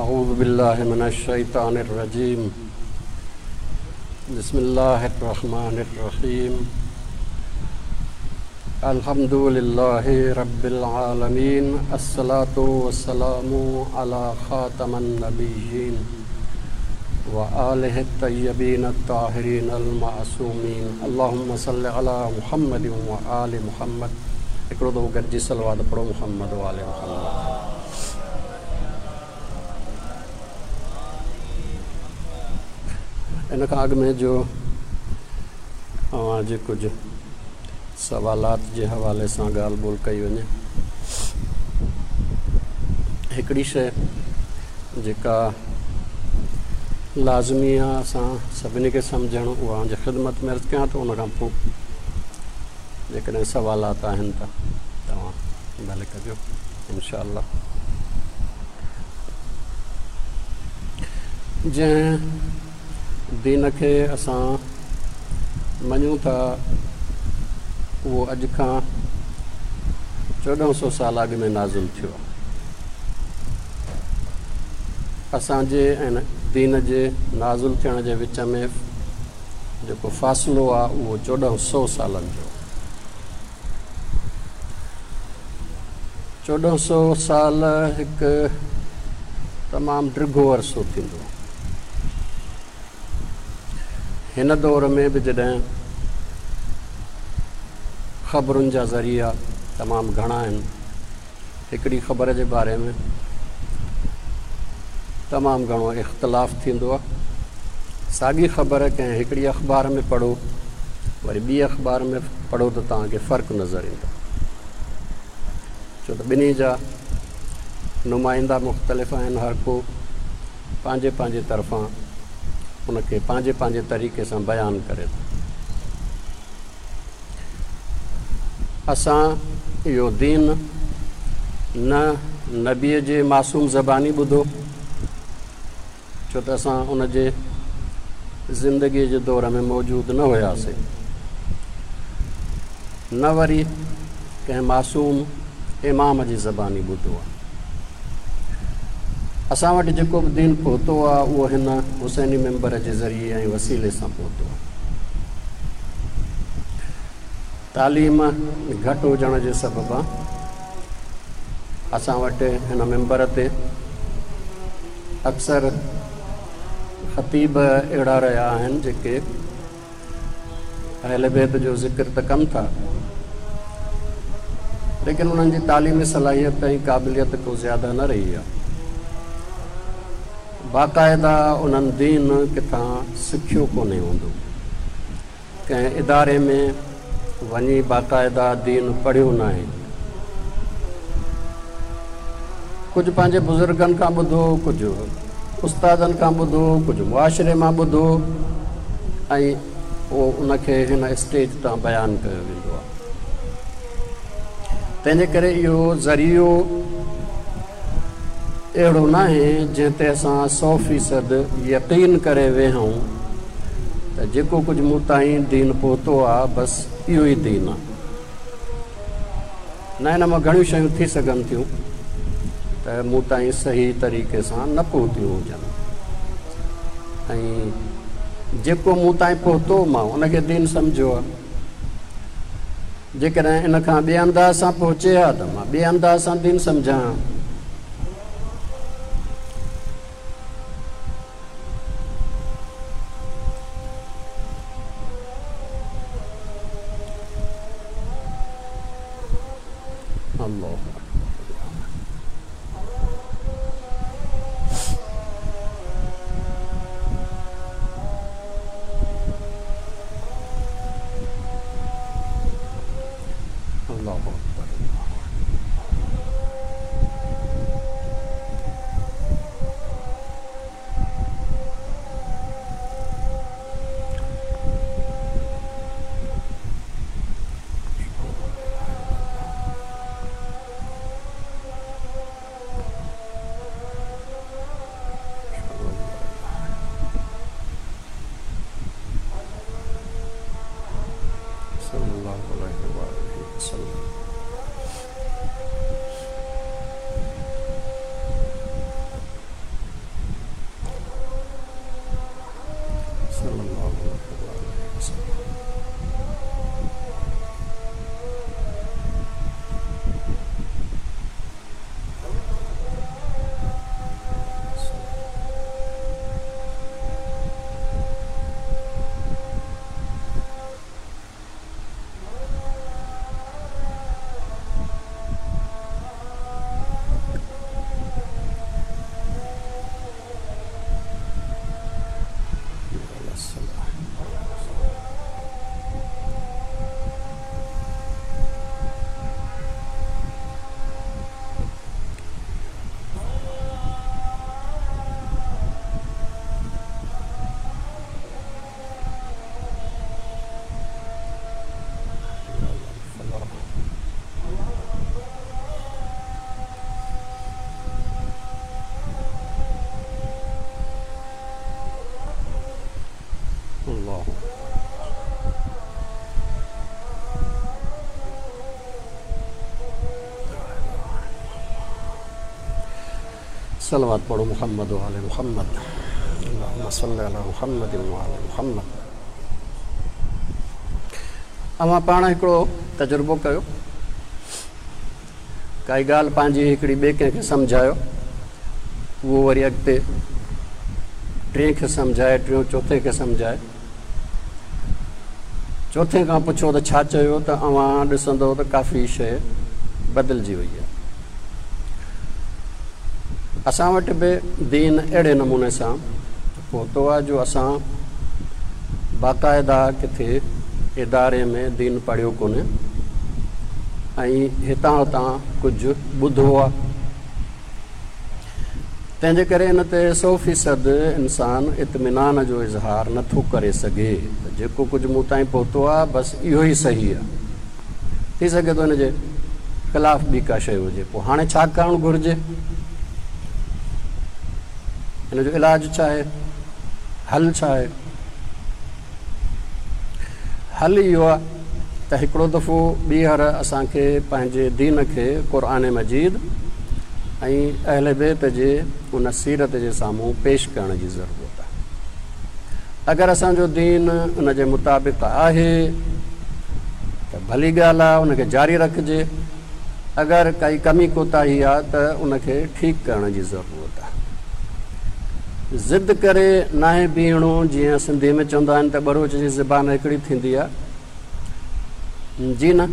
اعوذ بالله من الشيطان الرجيم بسم الله الرحمن الرحيم الحمد لله رب العالمين الصلاة والسلام على خاتم النبيين وآله الطيبين الطاهرين المعصومين اللهم صل على محمد وآل محمد هڪڙو دفعو گڏجي صلوات پڙهو محمد وآل محمد. ان کان اڳ ۾ جو اوهان جي ڪجهه سوالات جي حوالي سان ڳالهه ٻولهه ڪئي وڃي هڪڙي شيء جيڪا لازمي آهي اسان سڀني کي سمجهڻ اها اوهان جي خدمت ۾ عرض ڪيان ٿو ان کان پوء جيڪڏهن سوالات آهن ته توهان ڀلي ڪجو انشاء الله. جنهن دين کي اسان مڃون ٿا اهو اڄ کان 1400 سال اڳ ۾ نازل ٿيو آهي. اسان جي ۽ دين جي نازل ٿيڻ جي وچ ۾ جيڪو فاصلو آ اهو 1400 سالن جو. 1400 سال هڪ تمام ڊگهو عرصو ٿيندو. هن دور ۾ به جڏهن خبرن جا ذريعا تمام گهڻا آهن، هڪڙي خبر جي باري ۾ تمام گهڻو اختلاف ٿيندو آهي. ساڳي خبر ڪنهن هڪڙي اخبار ۾ پڙهو وري ٻي اخبار ۾ پڙهو ته توهان کي فرق نظر ايندو، ڇو ته ٻنهي جا نمائندا مختلف آهن، هر ڪو پنهنجي پنهنجي طرفان ان کي پنهنجي پنهنجي طريقي سان بيان ڪري ٿو. اسان اهو دين نه نبيء جي معصوم زباني ٻڌو، ڇو ته اسان ان جي زندگيء جي دور ۾ موجود نه هياسين، نه وري ڪنهن معصوم امام جي زباني ٻڌو آهي. اسان وٽ جيڪو به دين پهتو آهي، اهو هن حسيني منبر جي ذريعي ۽ وسيلي سان پهتو آهي. تعليم گهٽ هجڻ جي سببان اسان وٽ هن منبر تي اڪثر خطيب اهڙا رهيا آهن جيڪي اهل بيت جو ذڪر ته ڪن ٿا ليڪن انهن جي تعليمي صلاحيت ۽ قابليت ڪو زياده نه رهي آهي. باقاعده انهن دين ڪٿان سکيو ڪونهي هوندو. ڪنهن اداري ۾ وڃي باقاعده دين پڙهيو ناهي. ڪجهه پنهنجي بزرگن کان ٻڌو، ڪجهه استادن کان ٻڌو، ڪجهه معاشري مان ٻڌو ۽ پوء ان کي هن اسٽيج تان بيان ڪيو ويندو آهي. تنهنجي ڪري اهو ذريعو اهڙو ناهي جنهن تي اسان 100% يقين ڪري ويهون ته جيڪو ڪجهه مون تائين دين پهتو آ بس اهو ئي دين آ. نه، ان مان گهڻيون شيون ٿي سگهن ٿيون ته مون تائين صحيح طريقي سان نه پهتيون هجن ۽ جيڪو مون تائين پهتو مان ان کي دين سمجهيو آ. جيڪڏهن ان کان ٻئي انداز سان پهچي ها ته مان ٻئي انداز سان دين سمجهان ها. الله اڪبر. الله. صلوات پڙهو محمد وآل محمد اللهم صل علي محمد وآل محمد. اوهان پاڻ هڪڙو تجربو ڪيو، ڪائي ڳالهه پنهنجي هڪڙي ٻئي ڪنهن کي سمجهايو، اهو وري اڳتي ٽئين کي سمجهائي، ٽيون چوٿين کي سمجهائي، چوٿين کان پڇو ته ڇا چيو ته اوهان ڏسندو ته ڪافي شيء بدلجي وئي آهي. اسان وٽ به دين اهڙي نموني سان پهتو آهي جو اسان باقاعده ڪٿي اداري ۾ دين پڙهيو ڪونهي ۽ هتان هتان ڪجهه ٻڌو آهي. تنهن جي ڪري ان تي سو فيصد انسان اطمينان جو اظهار نه ٿو ڪري سگهي ته جيڪو ڪجهه مون تائين پهتو آهي بس اهو ئي صحيح آهي. ٿي سگهي ٿو ان جي خلاف ٻي ڪا شيء هجي. پوء هاڻي ڇا ڪرڻ گهرجي؟ ان جو علاج ڇا آهي؟ حل ڇا آهي؟ حل اهو آهي ته هڪڙو دفعو ٻيهر اسان کي پنهنجي دين کي قرآن مجيد ۽ اهل بيت جي ان سيرت جي سامهون پيش ڪرڻ جي ضرورت آهي. اگر اسان جو دين ان جي مطابق آهي ته ڀلي ڳالهه آهي ان کي جاري رکجي، اگر ڪائي ڪمي ڪوتاهي آهي ته ان کي ٺيڪ ڪرڻ جي ضرورت آهي. ضد ڪري ناهي بيهڻو، جيئن سنڌي ۾ چوندا آهن ته ٻروچ جي زبان هڪڙي ٿيندي آهي. جي نه،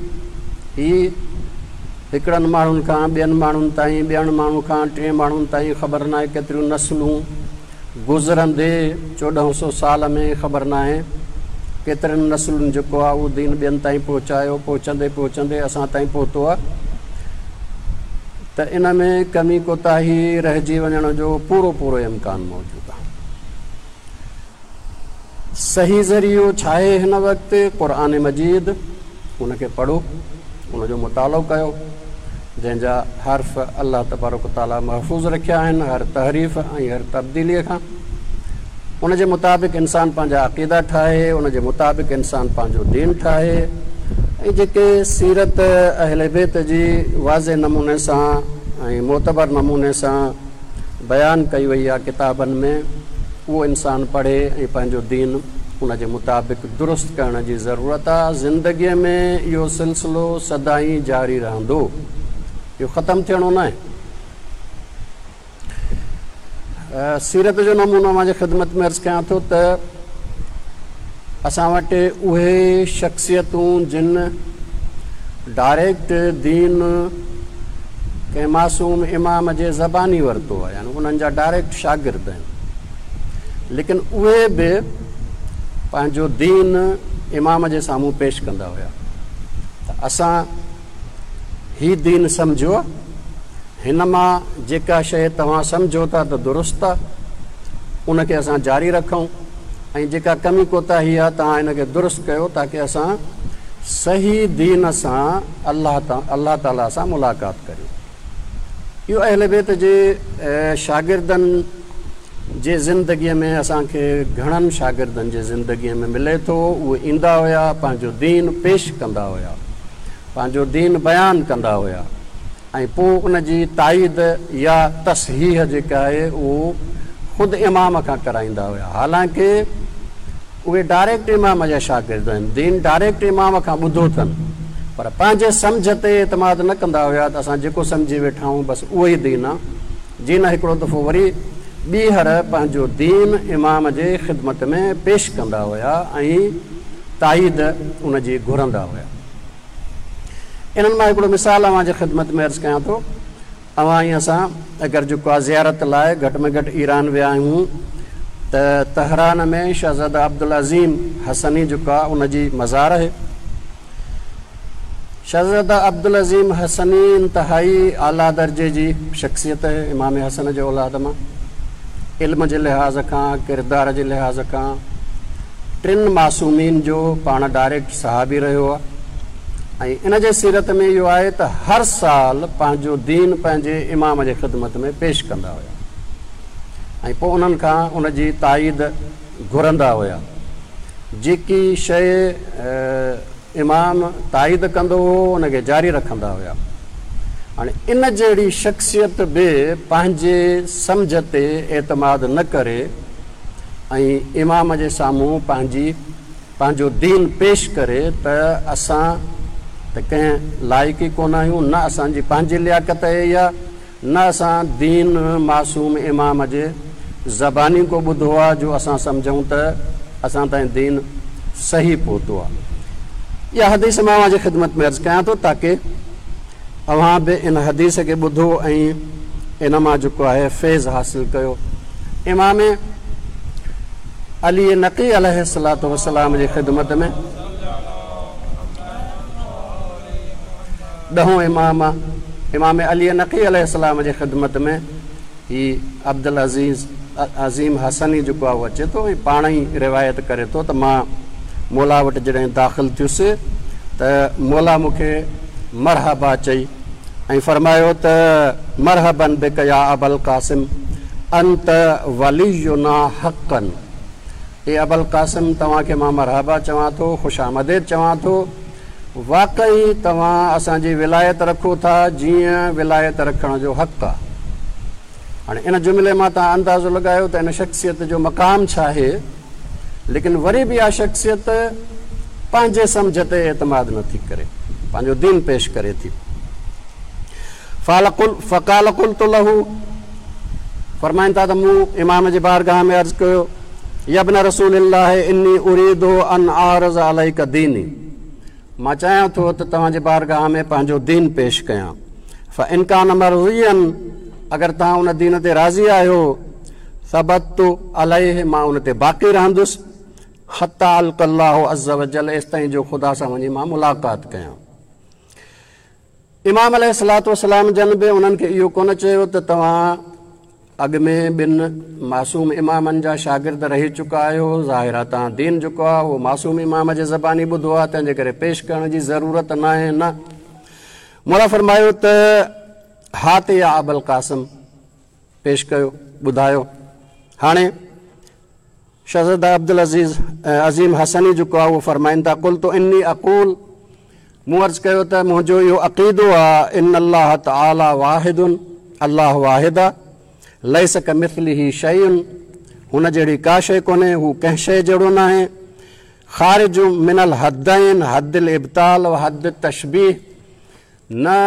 هي هڪڙن ماڻهن کان ٻين ماڻهن تائين، ٻين ماڻهن کان ٽئين ماڻهن تائين خبر ناهي ڪيتريون نسلون گذرندي 14 سو سال ۾ خبر ناهي ڪيترين نسلن جيڪو آهي اهو دين ٻين تائين پهچايو، پهچندي پهچندي اسان تائين پهتو آهي ته ان ۾ ڪمي ڪوتاهي رهجي وڃڻ جو پورو پورو امڪان موجود آهي. صحيح ذريعو ڇاهي هن وقت؟ قرآن مجيد، ان کي پڙهو، ان جو مطالعو ڪيو، جنهن جا حرف الله تبارڪ و تعاليٰ محفوظ رکيا آهن هر تحريف ۽ هر تبديليء کان. ان جي مطابق انسان پنهنجا عقيدا ٺاهي، ان جي مطابق انسان پنهنجو دين ٺاهي ۽ جيڪي سيرت اهل بيت جي واضح نموني سان ۽ معتبر نموني سان بيان ڪئي وئي آهي ڪتابن ۾، اهو انسان پڙهي ۽ پنهنجو دين ان جي مطابق درست ڪرڻ جي ضرورت آهي. زندگيء ۾ اهو سلسلو سدائين جاري رهندو، اهو ختم ٿيڻو ناهي. سيرت جو نمونو اوهان جي خدمت ۾ عرض ڪيان ٿو ته اسان وٽ اهي شخصيتون جن ڊائريڪٽ دين ڪنهن معصوم امام جي زباني ورتو آهي، يعني انهن جا ڊائريڪٽ شاگرد آهن، ليڪن اهي به پنهنجو دين امام جي سامهون پيش ڪندا هيا ته اسان هي دين سمجهيو، هن مان جيڪا شيء توهان سمجهو ٿا ته درست آهي ان کي اسان جاري رکون ۽ جيڪا ڪمي ڪوتاهي آهي توهان ان کي درست ڪيو تاڪه اسان صحيح دين سان الله الله تعاليٰ سان ملاقات ڪريون. اهو اهل بيت جي شاگردن جي زندگيء ۾ اسان کي گهڻن شاگردن جي زندگيء ۾ ملي ٿو. اهي ايندا هيا، پنهنجو دين پيش ڪندا هيا، پنهنجو دين بيان ڪندا هيا ۽ پوء ان جي تائيد يا تصحيح جيڪا آهي اهو خود امام کان ڪرائيندا هيا. حالانڪه اهي ڊائريڪٽ امام جا شاگرد آهن، دين ڊائريڪٽ امام کان ٻڌو اٿن، پر پنهنجي سمجهه تي اعتماد نه ڪندا هيا ته اسان جيڪو سمجهي ويٺا آهيون بس اهو ئي دين آهي. جي نه هڪڙو دفعو وري ٻيهر پنهنجو دين امام جي خدمت ۾ پيش ڪندا هيا ۽ تائيد ان جي گهرندا هيا. انهن مان هڪڙو مثال اوهان جي خدمت ۾ عرض ڪيان ٿو. اوهان ۽ اسان اگر جيڪو آهي زيارت لاء گهٽ ۾ گهٽ ايران ويا آهيون ته تهران ۾ شهزاده عبدالعظيم حسني جيڪو آهي ان جي مزار آهي. شهزاده عبدالعظيم حسني انتهائي اعليٰ درجي جي شخصيت آهي، امام حسن جي اولاد مان علم جي لحاظ کان، ڪردار جي لحاظ کان ٽن معصومين جو پاڻ ڊائريڪٽ صحابي رهيو آهي ۽ ان جي سيرت ۾ اهو آهي ته هر سال پنهنجو دين پنهنجي امام جي خدمت ۾ پيش ڪندا هيا ۽ پوء انهن کان ان جي تائيد گهرندا هيا. جيڪي شيء امام تائيد ڪندو هو ان کي جاري رکندا هيا. هاڻي ان جهڙي شخصيت به پنهنجي سمجهه تي اعتماد نه ڪري ۽ امام جي سامهون پنهنجي پنهنجو دين پيش ڪري ته اسان ته ڪنهن لائق ئي ڪونه آهيون، نه اسان جي پنهنجي لياقت اهي اها، نه اسان دين معصوم امام جي زباني ڪو ٻڌو آ جو اسان سمجهون ته اسان تائين دين صحيح پهتو آ. اها حديث مان اوهان جي خدمت ۾ عرض ڪيان ٿو تاڪه اوهان به ان حديث کي ٻڌو ۽ ان مان جيڪو آهي فيض حاصل ڪيو. امام علي نقي عليه الصلوة والسلام جي خدمت ۾. ڏهون امام امام علي نقي عليه السلام جي خدمت ۾ هي عبدالعزيز عظيم حسني جيڪو آهي اهو اچي ٿو ۽ پاڻ ئي روايت ڪري ٿو ته مان مولا وٽ جڏهن داخل ٿيس ته مولا مون کي مرحبا چئي ۽ فرمايو ته مرحبا بڪ يا ابا القاسم انت ولينا حقا اي ابا القاسم توهان کي مان مرحبا چوان ٿو خوش آمديد چوان ٿو واقعي توهان اسان جي ولايت رکو ٿا جيئن ولايت رکڻ جو حق آ. هاڻي ان جملي مان توهان اندازو لڳايو ته ان شخصيت جو مقام ڇا آهي ليڪن وري به اها شخصيت پنهنجي سمجهه تي اعتماد نه ٿي ڪري پنهنجو دين پيش ڪري ٿي. فقال قلت له فرمائن ٿا ته مون امام جي بارگاهه ۾ عرض ڪيو يا ابن رسول الله اني اريد ان اعرض عليك ديني مان چاهيان ٿو ته توهان جي بارگاهه ۾ پنهنجو دين پيش ڪيان فان ڪان مرضيا اگر توهان ان دين تي راضي آهيو ثبت عليه مان ان تي باقي رهندس حتي القي الله عز وجل ايستائين جو خدا سان وڃي مان ملاقات ڪيان. امام عليه الصلوة والسلام جن به انهن کي اهو ڪونه چيو ته توهان اڳ ۾ ٻن معصوم امامن جا شاگرد رهي چڪا آهيو، ظاهر آهي توهان دين جيڪو آهي اهو معصوم امام جي زباني ٻڌو آهي، تنهن جي ڪري پيش ڪرڻ جي ضرورت ناهي، نه مولا فرمايو ته هات يا ابا القاسم پيش ڪيو، ٻڌايو. هاڻي شهزاده عبدالعزيز عظيم حسني جيڪو آهي اهو فرمائن ٿا، قلت اني اقول مون عرض ڪيو ته منهنجو اهو عقيدو آهي ان الله تعالي واحد الله واحد آهي ليس ڪمثله شيء هن جهڙي ڪا شيء ڪونهي هو ڪنهن شيء جهڙو ناهي خارج من الحدين حد الابطال و حد التشبيه نه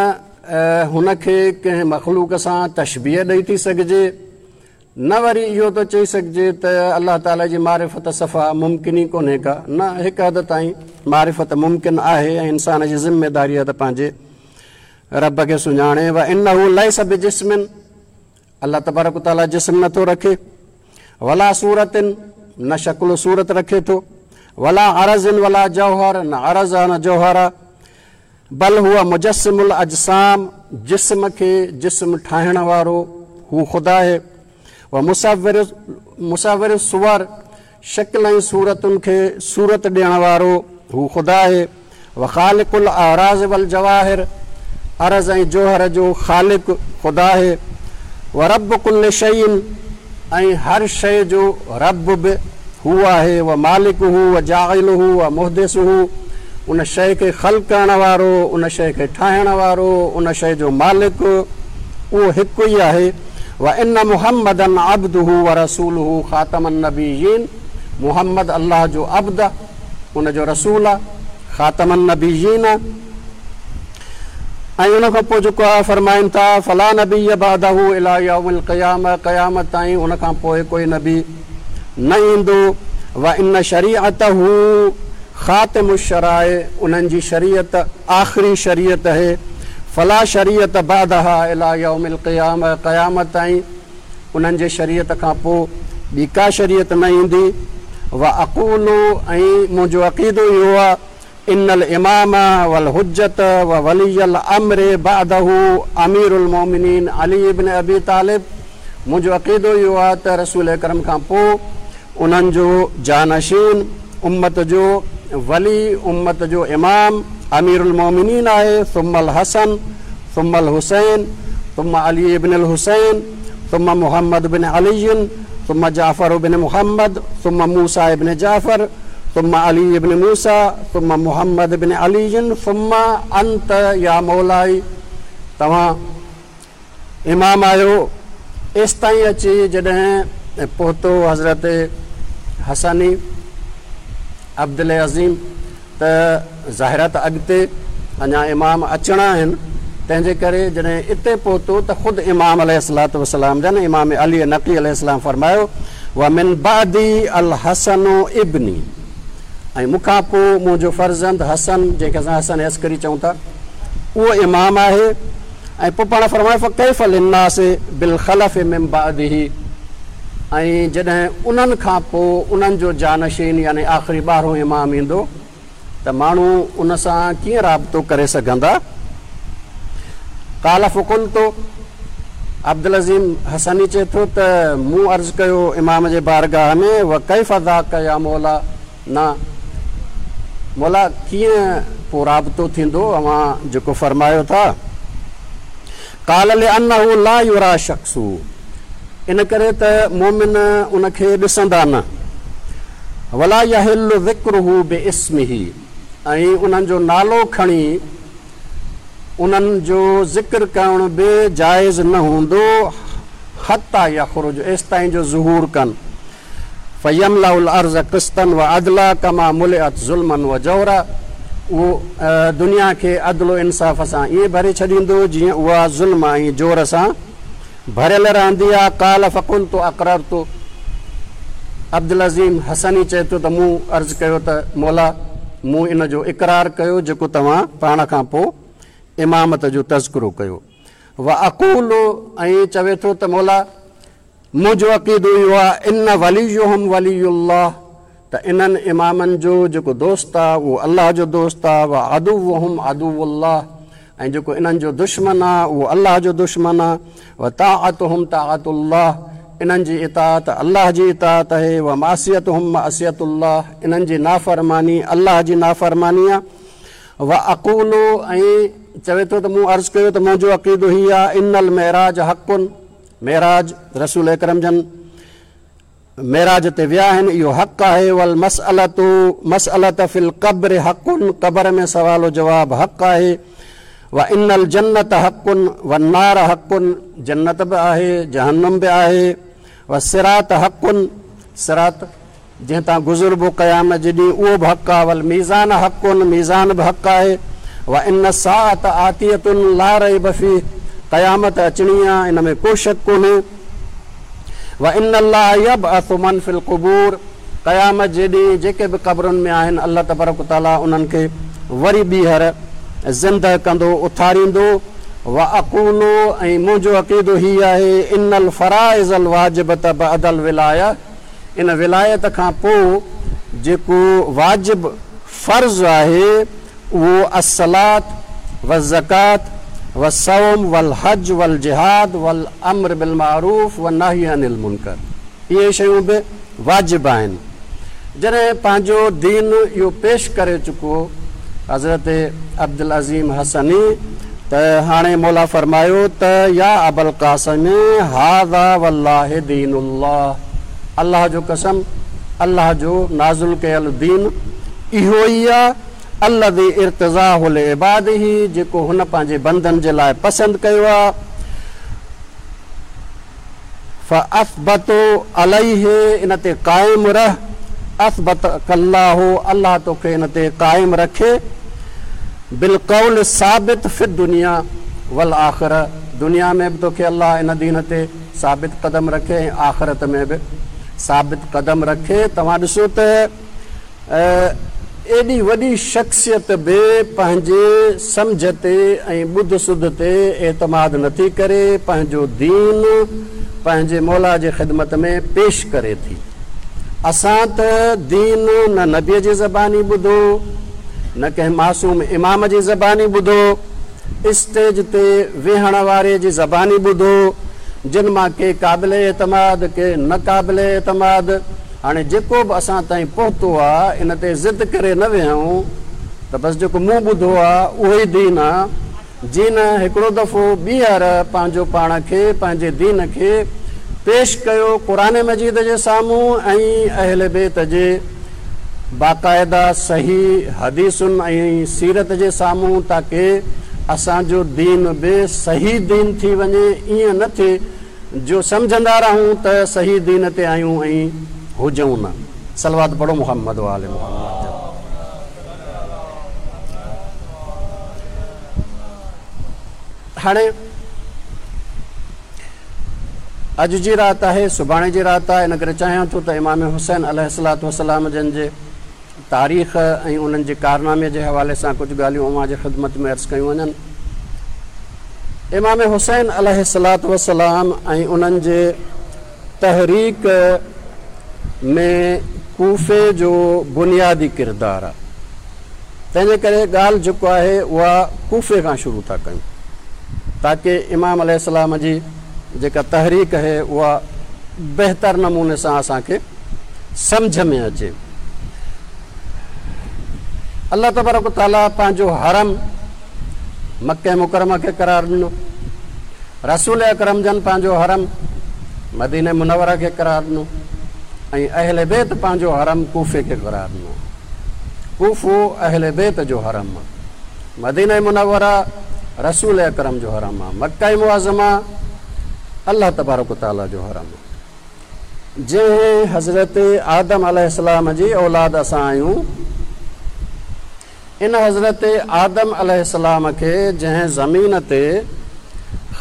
هن کي ڪنهن مخلوق سان تشبيه ڏئي ٿي سگهجي نه وري اهو ٿو چئي سگهجي ته الله تعاليٰ جي معرفت صفا ممڪن ئي ڪونهي ڪا، نه هڪ حد تائين معرفت ممڪن آهي ۽ انسان جي ذميداري آهي ته پنهنجي رب کي سڃاڻي وانه ليس بجسم الله تبارڪ وتعاليٰ جسم نه ٿو رکي ولا صورت نه شڪل و صورت رکي ٿو ولا عرض ولا جوهر نه عرض نه جوهر بل هو مجسم الاجسام، جسم کي جسم ٺاهڻ وارو هو خدا آهي، و مصور مصور الصور، شڪل ۽ صورتن کي صورت ڏيڻ وارو هو خدا آهي، و خالق الاعراض والجواهر، عرض ۽ جوهر جو خالق خدا آهي، و رب ڪل شيء، ۽ هر شيء جو رب به هو آهي، و مالڪه و جاعله و محدثه، ان شيء کي خلق ڪرڻ وارو، ان شيء کي ٺاهڻ وارو، ان شيء جو مالڪ، اهو هڪ ئي آهي، و ان محمدا عبده و رسوله خاتم النبيين، محمد الله جو عبد، ان جو رسول، خاتم النبيين. ۽ ان کان پوء جيڪو آهي فرمائن ٿا فلا نبي بعده الي يوم القيامه قيامت تائين ان کان پوء ڪوئي نبي نه ايندو وان شريعته خاتم الشرائع انهن جي شريعت آخري شريعت اهي فلا شريعت بعدها الي يوم القيامه قيامت تائين انهن جي شريعت کان پوء ٻي ڪا شريعت نه ايندي واقول ۽ منهنجو عقيدو اهو آهي ان الامام والحجة وولي الامر بعده امير المومنين علي بن ابي طالب منهنجو عقيدو اهو آهي ته رسول اڪرم کان پوء انهن جو جانشين امت جو ولي امت جو امام امير المومنين آهي ثم الحسن ثم الحسين ثم علي بن الحسين ثم محمد بن علي ثم جعفر بن محمد ثم موسيٰ بن جعفر. ثم علي بن موسيٰ ثم محمد بن علي ثم انت يا مولائي توهان امام آهيو. ايستائين اچي جڏهن پهتو حضرت حسني عبدالعظيم ته ظاهر آهي ته اڳتي اڃا امام اچڻا آهن، تنهن جي ڪري جڏهن اتي پهتو ته خود امام عليه الصلوة والسلام جن امام علي نقي عليه السلام فرمايو، ومن بعدي الحسن ابني ۽ مون کان پوء منهنجو فرزند حسن جنهن کي اسان حسن عسڪري چئون ٿا اهو امام آهي ۽ پوء پاڻ فرمايو فڪيف للناس بالخلف من بعده ۽ جڏهن انهن کان پوء انهن جو جانشين يعني آخري ٻارهون امام ايندو ته ماڻهو ان سان ڪيئن رابطو ڪري سگهندا؟ قال فقلت، عبدالعظيم حسني چئي ٿو ته مون عرض ڪيو امام جي بارگاهه ۾ وڪيف ذاڪ يا مولا نا مولا ڪيئن پوء رابطو ٿيندو اوهان جيڪو فرمايو ٿا؟ قال لانه لا يريٰ شخصه ان ڪري ته مؤمن ان کي ڏسندا نه، ولا يحل ذڪره باسمه ۽ انهن جو نالو کڻي انهن جو ذڪر ڪرڻ به جائز نه هوندو، حتيٰ يخرج ايستائين جو ظهور ڪن. فيملأ الارض قسطا وعدلا ڪما ملئت ظلما وجورا اهو دنيا کي عدل و انصاف سان ائين ڀري ڇڏيندو جيئن اها ظلم ۽ جور سان ڀريل رهندي آهي. قال فقلت اقررت عبدالعظيم حسني چئي ٿو ته مون عرض ڪيو ته مولا مون ان جو اقرار ڪيو جيڪو توهان پاڻ کان پوء امامت جو تذڪرو ڪيو. واقول ۽ چوي ٿو ته مولا منهنجو عقيدو اهو آهي ان وليهم ولي الله ته انهن امامن جو جيڪو دوست آهي اهو الله جو دوست آهي وعدوهم عدو الله ۽ جيڪو انهن جو دشمن آهي اهو الله جو دشمن آهي وطاعتهم طاعت الله انهن جي اطاعت الله جي اطاعت آهي ومعصيتهم معصيت الله انهن جي نافرماني الله جي نافرماني آهي واقول ۽ چوي ٿو ته مون عرض ڪيو ته منهنجو عقيدو هي آهي ان المعراج حق معراج، رسول اڪرم جن معراج تي ويا آهن، اهو حق آهي، والمسئلة مسئلة في القبر حق، قبر ۾ سوال و جواب حق آهي، وان الجنة حق والنار حق، جنت به آهي جهنم به آهي، والصراط حق، صراط جنهن تان گذربو قيامت جي ڏينهن اهو به حق آهي، والميزان حق، ميزان به حق آهي، وان الساعة آتية لا ريب فيه، قيامت اچڻي آهي ان ۾ ڪو شڪ ڪونهي، وان الله يبعث من في القبور، قيامت جي ڏينهن جيڪي به قبرن ۾ آهن الله تبارڪ وتعاليٰ انهن کي وري ٻيهر زنده ڪندو اٿاريندو، واقول ۽ منهنجو عقيدو هي آهي ان الفرائض الواجبة بعد الولاية، ان ولايت کان پوء جيڪو واجب فرض آهي اهو الصلوة والزڪوة والصوم والحج والجهاد والامر بالمعروف والنهي عن المنڪر اهي شيون به واجب آهن. جڏهن پنهنجو دين اهو پيش ڪري چڪو حضرت عبدالعظيم حسني ته هاڻي مولا فرمايو ته يا ابا القاسم هذا والله دين الله الله جو قسم الله جو نازل ڪيل دين اهو ئي آ الذي ارتضاه لعباده جيڪو هن پنهنجي بندن جي لاء پسند ڪيو آ. فاثبت عليه ان تي قائم رھ، اثبتک الله الله توکي ان تي قائم رکي، بالقول الثابت في الدنيا والآخرة دنيا ۾ به توکي الله ان دين تي ثابت قدم رکي ۽ آخرت ۾ به ثابت قدم رکي. توهان ڏسو ته ايڏي وڏي شخصيت به پنهنجي سمجهه تي ۽ ٻڌ سڌ تي اعتماد نٿي ڪري، پنهنجو دين پنهنجي مولا جي خدمت ۾ پيش ڪري ٿي. اسان ته دين نه نبيء جي زباني ٻڌو، نه ڪنهن معصوم امام جي زباني ٻڌو، اسٽيج تي ويهڻ واري جي زباني ٻڌو، جن مان ڪي قابل اعتماد، ڪي نه قابل اعتماد. هاڻي جيڪو به اسان تائين پهتو آ ان تي ضد ڪري نه ويهون ته بس جيڪو مون ٻڌو آ اهو ئي دين آ. جي نه هڪڙو دفعو ٻيهر پنهنجو پاڻ کي پنهنجي دين کي پيش ڪيو قرآن مجيد جي سامهون ۽ اهل بيت جي باقاعده صحيح حديثن ۽ سيرت جي سامهون تاڪه اسان جو دين به صحيح دين ٿي وڃي ائين نه ٿئي جو سمجهندا رهون ته صحيح دين تي آهيون ۽ هجون نه. صلوات پڙهو محمد وآل محمد تي. هاڻي اڄ جي رات آهي سڀاڻي جي رات آهي ان ڪري چاهيان ٿو ته امام حسين عليه الصلوة والسلام جن جي تاريخ ۽ انهن جي ڪارنامي جي حوالي سان ڪجهه ڳالهيون اوهان جي خدمت ۾ عرض ڪيون وڃن. امام حسين عليه الصلوة والسلام ۽ انهن جي تحريڪ ۾ ڪوفي جو بنيادي ڪردار آهي. تنهن جي ڪري ڳالهه جيڪو آهي اها ڪوفي کان شروع ٿا ڪيون تاڪه امام عليه السلام جي جيڪا تحريڪ آهي اها بهتر نموني سان اسان کي سمجهه ۾ اچي. الله تبارڪ و تعاليٰ پنهنجو حرم مڪه مڪرمه کي قرار ڏنو. رسول اڪرم جن پنهنجو حرم مدينه منوره کي قرار ڏنو ۽ اهل بيت پنهنجو حرم ڪوفي کي قرار ڏنو. ڪوفو اهل بيت جو حرم آ. مدينه منوره رسول اڪرم جو حرم آ. مڪه معظمه الله تبارڪ و تعاليٰ جو حرم آ. جنهن حضرت آدم عليه السلام جي اولاد اسان آهيون، ان حضرت آدم عليه السلام کي جنهن زمين تي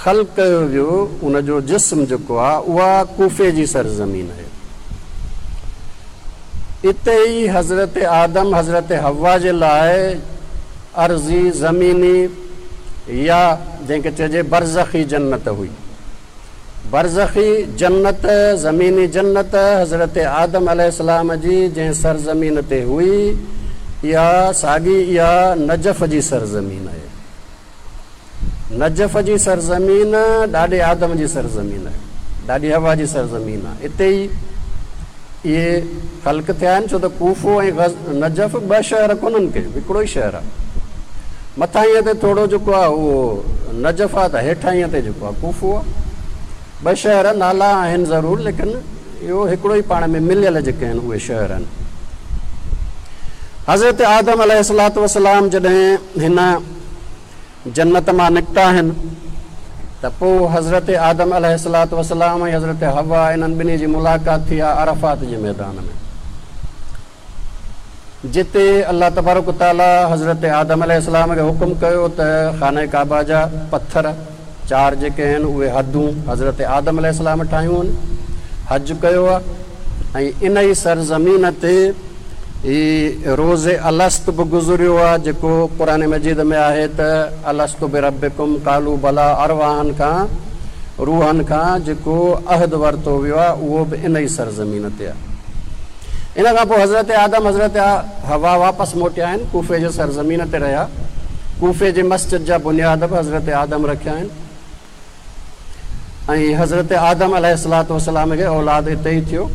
خلق ڪيو ويو، ان جو جسم جيڪو آهي، اها ڪوفي جي سرزمين آهي. اتي ئي حضرت آدم حضرت حوا جي لاء ارضي، زميني يا جنهن کي چئجي برزخي جنت هئي. برزخي جنت، زميني جنت، حضرت آدم عليه السلام جي جنهن سرزمين تي هئي، اها ساڳي اها نجف جي سرزمين آهي. نجف جي سرزمين ڏاڏي آدم جي سرزمين آهي، ڏاڏي حوا جي سرزمين آهي. اتي ئي اهي خلق ٿيا آهن، ڇو ته ڪوفو ۽ نجف ٻه شهر ڪونهن ڪي، هڪڙو ئي شهر آهي. مٿاهينء تي ٿورو جيڪو آهي اهو نجف آهي ته هيٺاهينء تي جيڪو آهي ڪوفو آهي. ٻه شهر نالا آهن ضرور ليڪن اهو هڪڙو ئي پاڻ ۾ مليل جيڪي آهن اهي شهر آهن. حضرت آدم عليه الصلوة والسلام جڏهن هن جنت مان نڪتا آهن ته پوء حضرت آدم عليه الصلوة والسلام ۽ حضرت حوا انهن ٻنهي جي ملاقات ٿي آهي عرفات جي ميدان ۾. جتي الله تبارڪ و تعاليٰ حضرت آدم عليه السلام کي حڪم ڪيو ته خانه ڪعبه جا پٿر چار جيڪي آهن اهي حدون حضرت آدم عليه السلام ٺاهيون آهن، حج ڪيو آهي ۽ ان ئي سرزمين تي هي روز الست به گذريو آهي جيڪو قرآن مجيد ۾ آهي ته الست بربڪم قالوا بليٰ ارواحن کان روحن کان جيڪو عهد ورتو ويو آهي اهو به ان ئي سرزمين تي آهي. ان کان پوء حضرت آدم حضرت حوا واپس موٽيا آهن، ڪوفي جي سرزمين تي رهيا. ڪوفي جي مسجد جا بنياد به حضرت آدم رکيا آهن ۽ حضرت آدم عليه الصلوة والسلام کي اولاد اتي ئي ٿيو،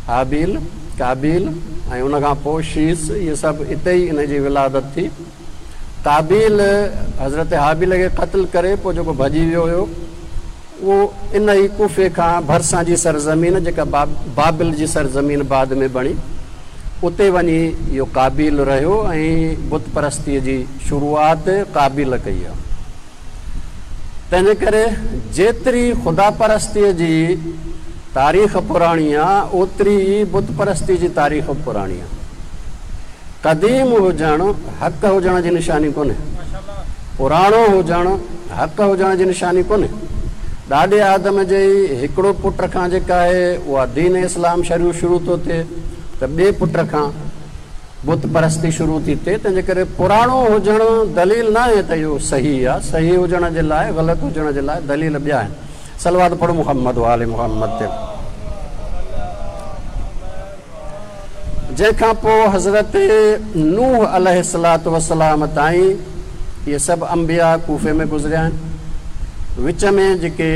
هابيل، قابيل ۽ ان کان پوء شيث، اهي سڀ اتي ئي انهن جي ولادت ٿي. قابيل حضرت هابيل کي قتل ڪري پوء جيڪو ڀڄي ويو هيو، اهو ان ئي ڪوفي کان ڀرسان جي سرزمين جيڪا بابل جي سرزمين بعد ۾ بڻي، اتي وڃي اهو قابيل رهيو ۽ بت پرستيء جي شروعات قابيل ڪئي آهي. تنهنجي ڪري جيتري خدا پرستيء جي تاريخ پراڻي آهي، اوتري ئي بت پرستي جي تاريخ به پراڻي آهي. قديم هجڻ حق هجڻ جي نشاني ڪونهي. پراڻو هجڻ حق هجڻ جي نشاني ڪونهي. ڏاڏي آدم جي ئي هڪڙو پٽ کان جيڪا آهي اها دين اسلام شروع شروع ٿو ٿئي ته ٻئي پٽ کان بت پرستي شروع ٿي ٿئي تنهنجي ڪري پراڻو هجڻ دليل ناهي ته اهو صحيح آهي. صحيح هجڻ جي لاء غلط هجڻ جي لاء دليل ٻيا آهن. صلوات پڙهو محمد وآل محمد تي. جنهن کان پوء حضرت نوح عليه الصلوة والسلام تائين اهي سڀ انبياء ڪوفي ۾ گذريا آهن. وچ ۾ جيڪي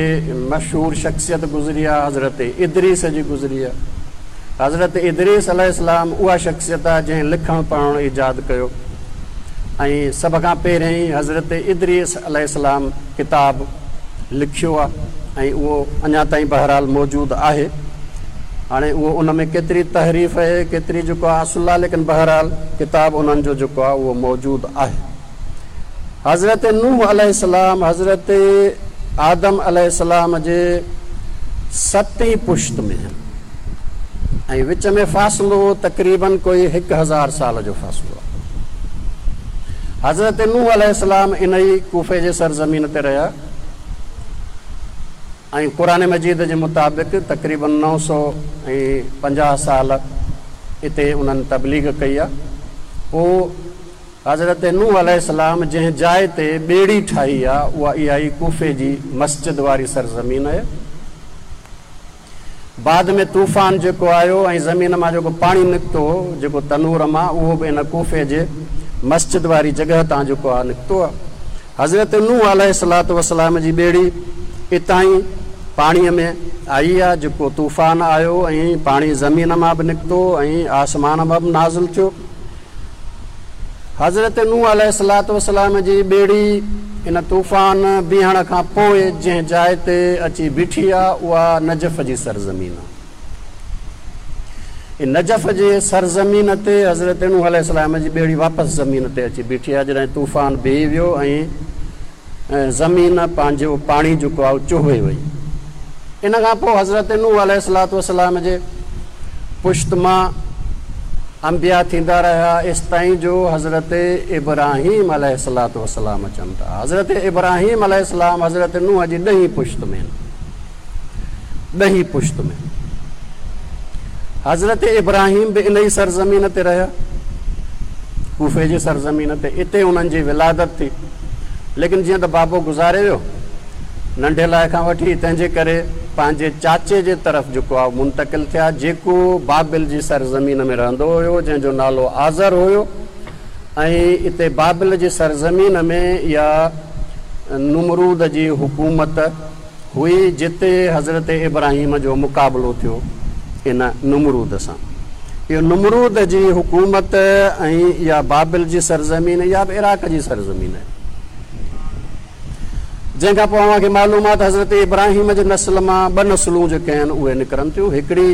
مشهور شخصيت گذري آهي حضرت ادريس جي گذري آهي. حضرت ادريس عليه السلام اها شخصيت آهي جنهن لکڻ پڙهڻ ايجاد ڪيو ۽ سڀ کان پهريائين حضرت ادريس عليه السلام ڪتاب لکيو آهي ۽ اهو اڃا تائين بهرحال موجود آهي. هاڻي اهو ان ۾ ڪيتري تحريف اهي ڪيتري جيڪو آهي اصل آهي ليڪن بهرحال ڪتاب انهن جو جيڪو آهي اهو موجود آهي. حضرت نوح عليه السلام حضرت آدم عليه السلام جي ستين پشت ۾ آهن ۽ وچ ۾ فاصلو تقريبن ڪوئي 1000 سال جو فاصلو آهي. حضرت نوح عليه السلام انهي ڪوفي جي سرزمين تي رهيا ۽ قرآن مجيد جي مطابق تقريبن 950 سال اتي انهن تبليغ ڪئي آهي. پوء حضرت نوح عليه السلام جنهن جاء تي ٻيڙي ٺاهي آ، اها اها ئي ڪوفي جي مسجد واري سرزمين آهي. بعد ۾ طوفان جيڪو آيو ۽ زمين مان جيڪو پاڻي نڪتو، جيڪو تنور مان، اهو به ان ڪوفي جي مسجد واري جڳهه تان جيڪو آ نڪتو آ. حضرت نوح عليه الصلوة والسلام جي ٻيڙي اتان ئي پاڻيء ۾ آئي آ، جيڪو طوفان آيو ۽ پاڻي زمين مان به نڪتو ۽ آسمان مان به نازل ٿيو. حضرت نوح عليه الصلوة والسلام جي ٻيڙي ان طوفان بيهڻ کان پوء جنهن جاء تي اچي بيٺي آ، اها نجف جي سرزمين آ. ان نجف جي سرزمين تي حضرت نوح عليه السلام جي ٻيڙي واپس زمين تي اچي بيٺي آ، جڏهن طوفان بيهي ويو ۽ زمين پنهنجو پاڻي جيڪو آهي اهو چوهي وئي. ان کان پوء حضرت نوح عليه الصلوة والسلام جي پشت مان انبياء ٿيندا رهيا ايستائين جو حضرت ابراهيم عليه الصلوة والسلام اچن ٿا. حضرت ابراهيم عليه السلام حضرت نوح جي ڏهين پشت ۾ آهن. ڏهين پشت ۾ حضرت ابراهيم به انهي سرزمين تي رهيا، ڪوفي جي سرزمين تي، اتي انهن جي ولادت ٿي، ليڪن جيئن ته بابو گذاري ويو ننڍي لاء کان وٺي، تنهن جي ڪري پنهنجي چاچي جي طرف جيڪو آهي منتقل ٿيا، جيڪو بابل جي سرزمين ۾ رهندو هيو، جنهن جو نالو آزر هيو، ۽ اتي بابل جي سرزمين ۾ اها نمرود جي حڪومت هئي جتي حضرت ابراهيم جو مقابلو ٿيو ان نمرود سان. اهو نمرود جي حڪومت ۽ اها بابل جي سرزمين اها به عراق جي سرزمين آهي. جنهن کان پوء اوهان کي معلوم آهي ته حضرت ابراهيم جي نسل مان ٻه نسلون جيڪي آهن اهي نڪرن ٿيون. هڪڙي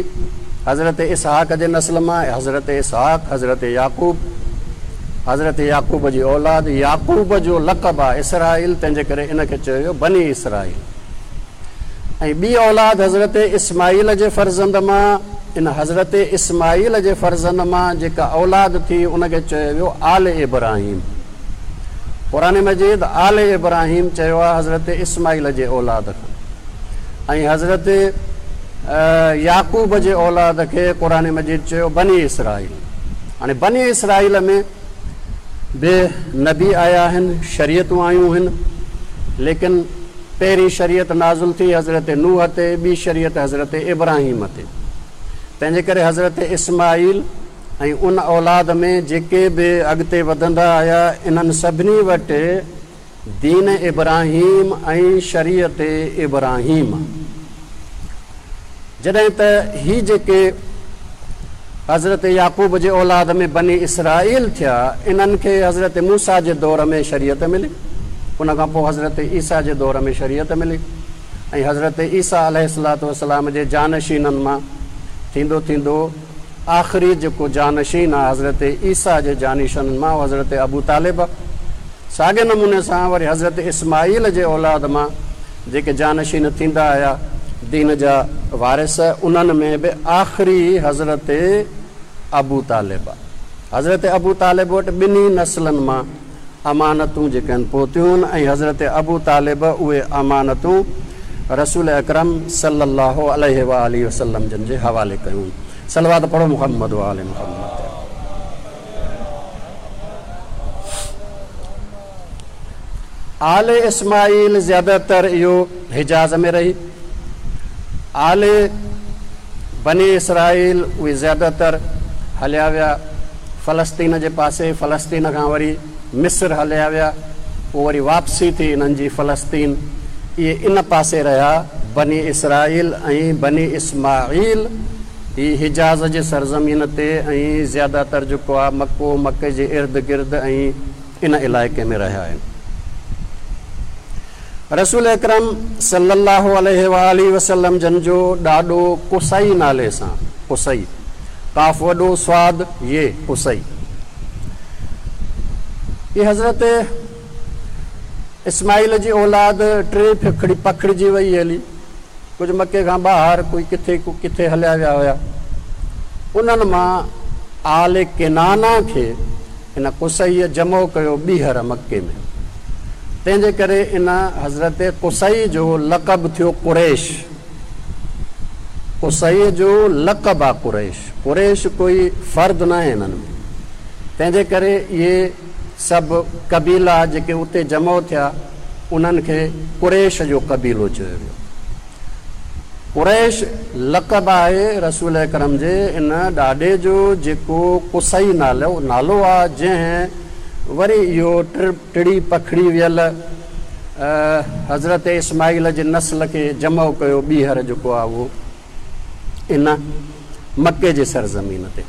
حضرت اسحاق جي نسل مان، حضرت اسحاق، حضرت يعقوب، حضرت يعقوب جي اولاد، يعقوب جو لقب آهي اسرائيل، تنهن جي ڪري ان کي چيو ويو بني اسرائيل. ۽ ٻي اولاد حضرت اسماعيل جي فرزند مان، ان حضرت اسماعيل جي فرزند مان جيڪا اولاد ٿي ان کي چيو ويو آل ابراهيم. قرآن مجيد آل ابراهيم چيو آهي حضرت اسماعيل جي اولاد کان ۽ حضرت يعقوب جي اولاد کي قرآن مجيد چيو بني اسرائيل. هاڻي بني اسرائيل ۾ به نبي آيا آهن، شريعتون آيون هن، ليڪن پهرين شريعت نازل ٿي حضرت نوح تي، ٻي شريعت حضرت ابراهيم تي. تنهنجي ڪري حضرت اسماعيل ۽ ان اولاد ۾ جيڪي به اڳتي وڌندا آيا، انهن سڀني وٽ دين ابراهيم ۽ شريعت ابراهيم. جڏهن ته هي جيڪي حضرت يعقوب جي اولاد ۾ بني اسرائيل ٿيا، انهن کي حضرت موسيٰ جي دور ۾ شريعت ملي، ان کان پوء حضرت عيسيٰ جي دور ۾ شريعت ملي ۽ حضرت عيسيٰ عليه الصلوة والسلام جي جانشينن مان ٿيندو ٿيندو آخري جيڪو جانشين آهي حضرت عيسيٰ جي جانشينن مان اهو حضرت ابو طالب آهي. ساڳئي نموني سان وري حضرت اسماعيل جي اولاد مان جيڪي جانشين ٿيندا آيا دين جا وارث انهن ۾ به آخري حضرت ابو طالب. حضرت ابو طالب وٽ ٻنهي نسلن مان امانتون جيڪي آهن پهتيون ۽ حضرت ابو طالب اهي امانتون رسول اڪرم صلي الله عليه واٰله وسلم جن جي حوالي ڪيون. صلوات پڙهو محمد وآل محمد تي. آل اسماعيل زياده تر اهو حجاز ۾ رهي. آل بني اسرائيل اهي زياده تر هليا ويا فلسطين جي پاسي، فلسطين کان وري مصر هليا ويا، پوء وري واپسي ٿي انهن جي فلسطين، اهي ان پاسي رهيا بني اسرائيل ۽ بني اسماعيل. هي حجاز جي سرزمين تي ۽ زياده تر جيڪو آهي مڪو، مڪي جي ارد گرد ۽ ان علائقي ۾ رهيا آهن. رسول اڪرم صلي الله عليه واٰله وسلم جن جو ڏاڏو قصي نالي سان. قصي، قاف وڏو، صاد، ي، قصي. هي حضرت اسماعيل جي اولاد ٽي ڦکڙي پکڙجي وئي هلي. ڪجهه مڪي کان ٻاهر، ڪوئي ڪٿي ڪو ڪٿي هليا ويا هيا. انهن مان آل ڪنانه کي ان قصيء جمع ڪيو ٻيهر مڪي ۾. تنهن جي ڪري ان حضرت قصي جو لقب ٿيو قريش. قصيء جو لقب آ قريش. قريش ڪوئي فرد ناهي انهن ۾. تنهن جي ڪري اهي سڀ قبيلا جيڪي اتي جمع ٿيا انهن کي قريش جو قبيلو چيو ويو. قريش لقب آهي رسول اڪرم جي ان ڏاڏي جو جيڪو قصي نالو نالو آ جنهن وري اهو ٽڙي پکڙي ويل حضرت اسماعيل جي نسل کي جمع ڪيو ٻيهر جيڪو آ اهو ان مڪي جي سرزمين تي.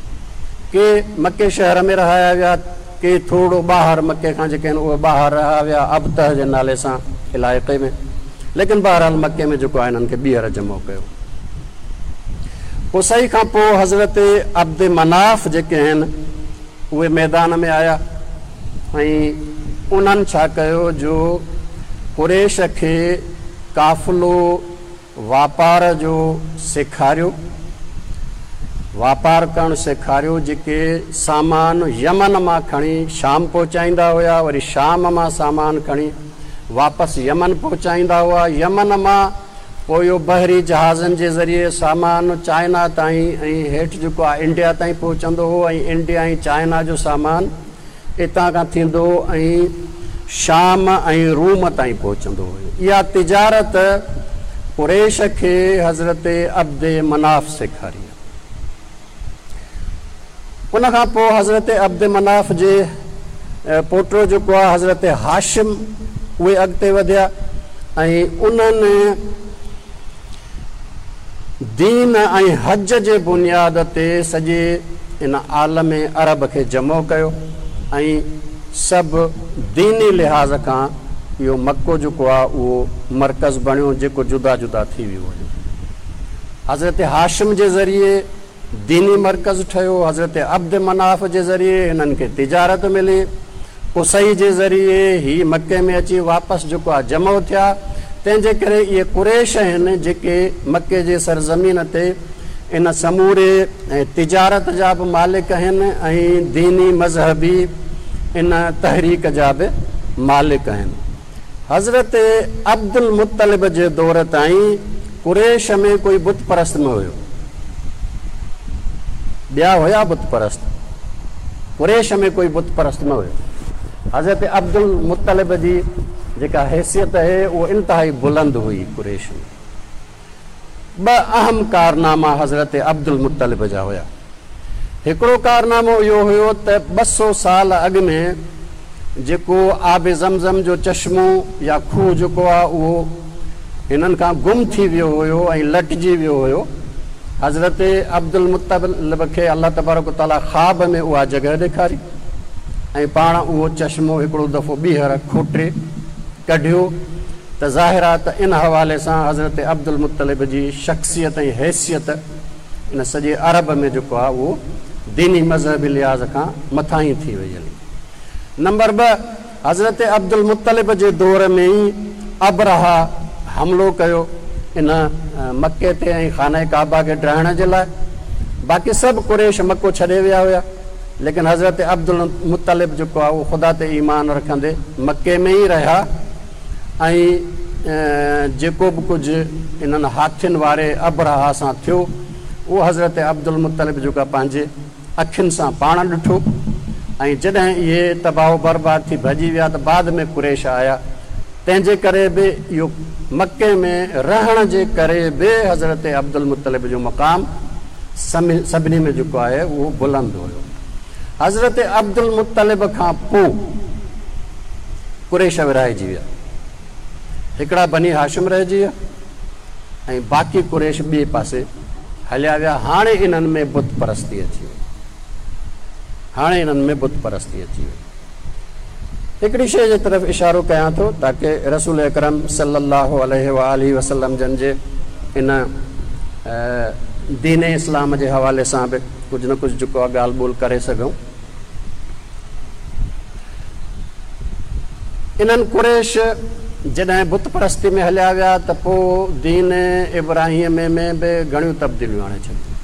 ڪي مڪي شهر ۾ رهايا ويا، ڪي ٿورڙو ٻاهر مڪي کان جيڪي آهن اهي ٻاهر رهايا ويا ابطح جي نالي سان علائقي ۾، ليڪن بهرحال مڪي ۾ جيڪو آهي انهن کي ٻيهر جمع ڪيو. قصي کان پوء حضرت عبد مناف جيڪي آهن اهي ميدان ۾ آيا ۽ انهن ڇا ڪيو جو قريش کي قافلو واپار جو سيکاريو، واپار ڪرڻ سيکاريو، جيڪي سامان يمن مان کڻي شام پهچائيندا هيا، وري شام مان سامان کڻي واپس يمن پهچائيندا هئا، يمن مان پوء اهو بحري جهازن جي ذريعي سامان چائنا تائين ۽ هيٺ جيڪو آهي انڊيا تائين پهچندو هو ۽ انڊيا ۽ چائنا جو سامان اتان کان ٿيندو ۽ شام ۽ روم تائين پهچندو هيو. اها تجارت قريش کي حضرت عبد مناف سيکاري. ان کان پوء حضرت عبد مناف جي پوٽو جيڪو آهي حضرت هاشم اهي اڳتي وڌيا ۽ انهن دين ۽ حج جي بنياد تي سڄي ان عالم عرب کي جمع ڪيو ۽ سڀ ديني لحاظ کان اهو مڪو جيڪو آهي اهو مرڪز بڻيو جيڪو جدا جدا ٿي ويو هيو. حضرت هاشم جي ذريعي ديني مرڪز ٺهيو، حضرت عبد مناف جي ذريعي هنن کي تجارت ملي، قصي جي ذريعي هي مڪي ۾ اچي واپس جيڪو آهي جمع ٿيا، تنهن جي ڪري اهي قريش آهن جيڪي مڪي جي سرزمين تي ان سموري تجارت جا به مالڪ آهن ۽ ديني مذهبي ان تحريڪ جا به مالڪ آهن. حضرت عبدالمطلب جي دور تائين قريش ۾ ڪوئي بت پرست نه هيو. ٻيا هيا بت پرست، قريش ۾ ڪوئي بت پرست نه هيو. حضرت عبدالمطلب جي جيڪا حيثيت هي اهو انتهائي بلند هئي قريش ۾. ٻه اهم ڪارناما حضرت عبدالمطلب جا هيا. هڪڙو ڪارنامو اهو هيو ته 200 سال اڳ ۾ جيڪو آب زمزم جو چشمو يا کوهه جيڪو آهي اهو هنن کان گم ٿي ويو هيو ۽ لٽجي ويو هيو. حضرت عبدالمطلب کي الله تبارڪ و تعاليٰ خواب ۾ اها جڳهه ڏيکاري ۽ پاڻ اهو چشمو هڪڙو دفعو ٻيهر کوٽي ڪڍيو ته ظاهر آهي ته ان حوالي سان حضرت عبدالمطلب جي شخصيت ۽ حيثيت ان سڄي عرب ۾ جيڪو آهي اهو ديني مذهبي لحاظ کان مٿاهين ٿي وئي هلي. نمبر 2، حضرت عبدالمطلب جي دور ۾ ئي ابرهه حملو ڪيو ان مڪي تي ۽ خانه ڪعبه کي ڊاهڻ جي لاء. باقي سڀ قريش مڪو ڇڏي ويا هيا. ليڪن حضرت عبدالمطلب جيڪو آهي اهو خدا تي ايمان رکندي مڪي ۾ ئي رهيا ۽ جيڪو به ڪجهه انهن هاٿين واري ابرهه سان ٿيو اهو حضرت عبدالمطلب جيڪو آهي پنهنجي اکين سان پاڻ ڏٺو ۽ جڏهن اهي تباهه و برباد ٿي ڀڄي ويا ته بعد ۾ قريش آيا تنهن جي ڪري به اهو مڪي ۾ رهڻ جي ڪري به حضرت عبدالمطلب جو مقام سڀني ۾ جيڪو آهي اهو بلند هيو. حضرت عبدالمطلب کان پوء قريش ورهائجي ويا. هڪڙا بني هاشم رهجي ويا ۽ باقي قريش ٻئي پاسي هليا ويا. هاڻي انهن ۾ بت پرستي اچي وئي. هاڻي انهن ۾ بت پرستي اچي وئي. هڪڙي شيء جي طرف اشارو ڪيان ٿو تاڪه رسول اڪرم صلي الله عليه واٰله وسلم جن جي ان دين اسلام جي حوالي سان به ڪجهه نه ڪجهه جيڪو آهي ڳالهه ٻولهه ڪري سگهون. انهن قريش جڏهن بت پرستي ۾ هليا ويا ته پوء دين ابراهيمي ۾ به گهڻيون تبديليون آڻي ڇڏيون.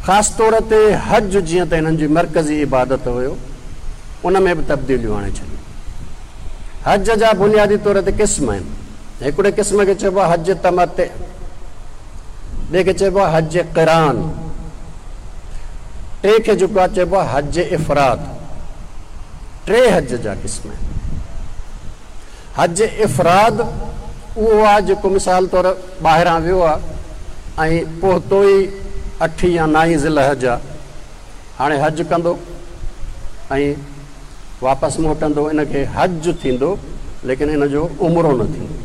خاص طور تي حج جيئن ته انهن جي مرڪزي عبادت هيو ان ۾ به تبديليون آڻي ڇڏيون. حج جا بنيادي طور تي قسم آهن. هڪڙي قسم کي چئبو آهي حج تمتع، ٻئي کي چئبو آهي حج قران، ٽئين کي جيڪو آهي چئبو آهي حج افراد. ٽي حج جا قسم آهن. حج افراد اهو آهي جيڪو مثال طور ٻاهران ويو آهي ۽ پهتو ئي اٺين يا نائين ذي الحج آهي، هاڻي حج ڪندو ۽ واپس موٽندو، ان کي حج ٿيندو ليڪن ان جو عمرو نه ٿيندو.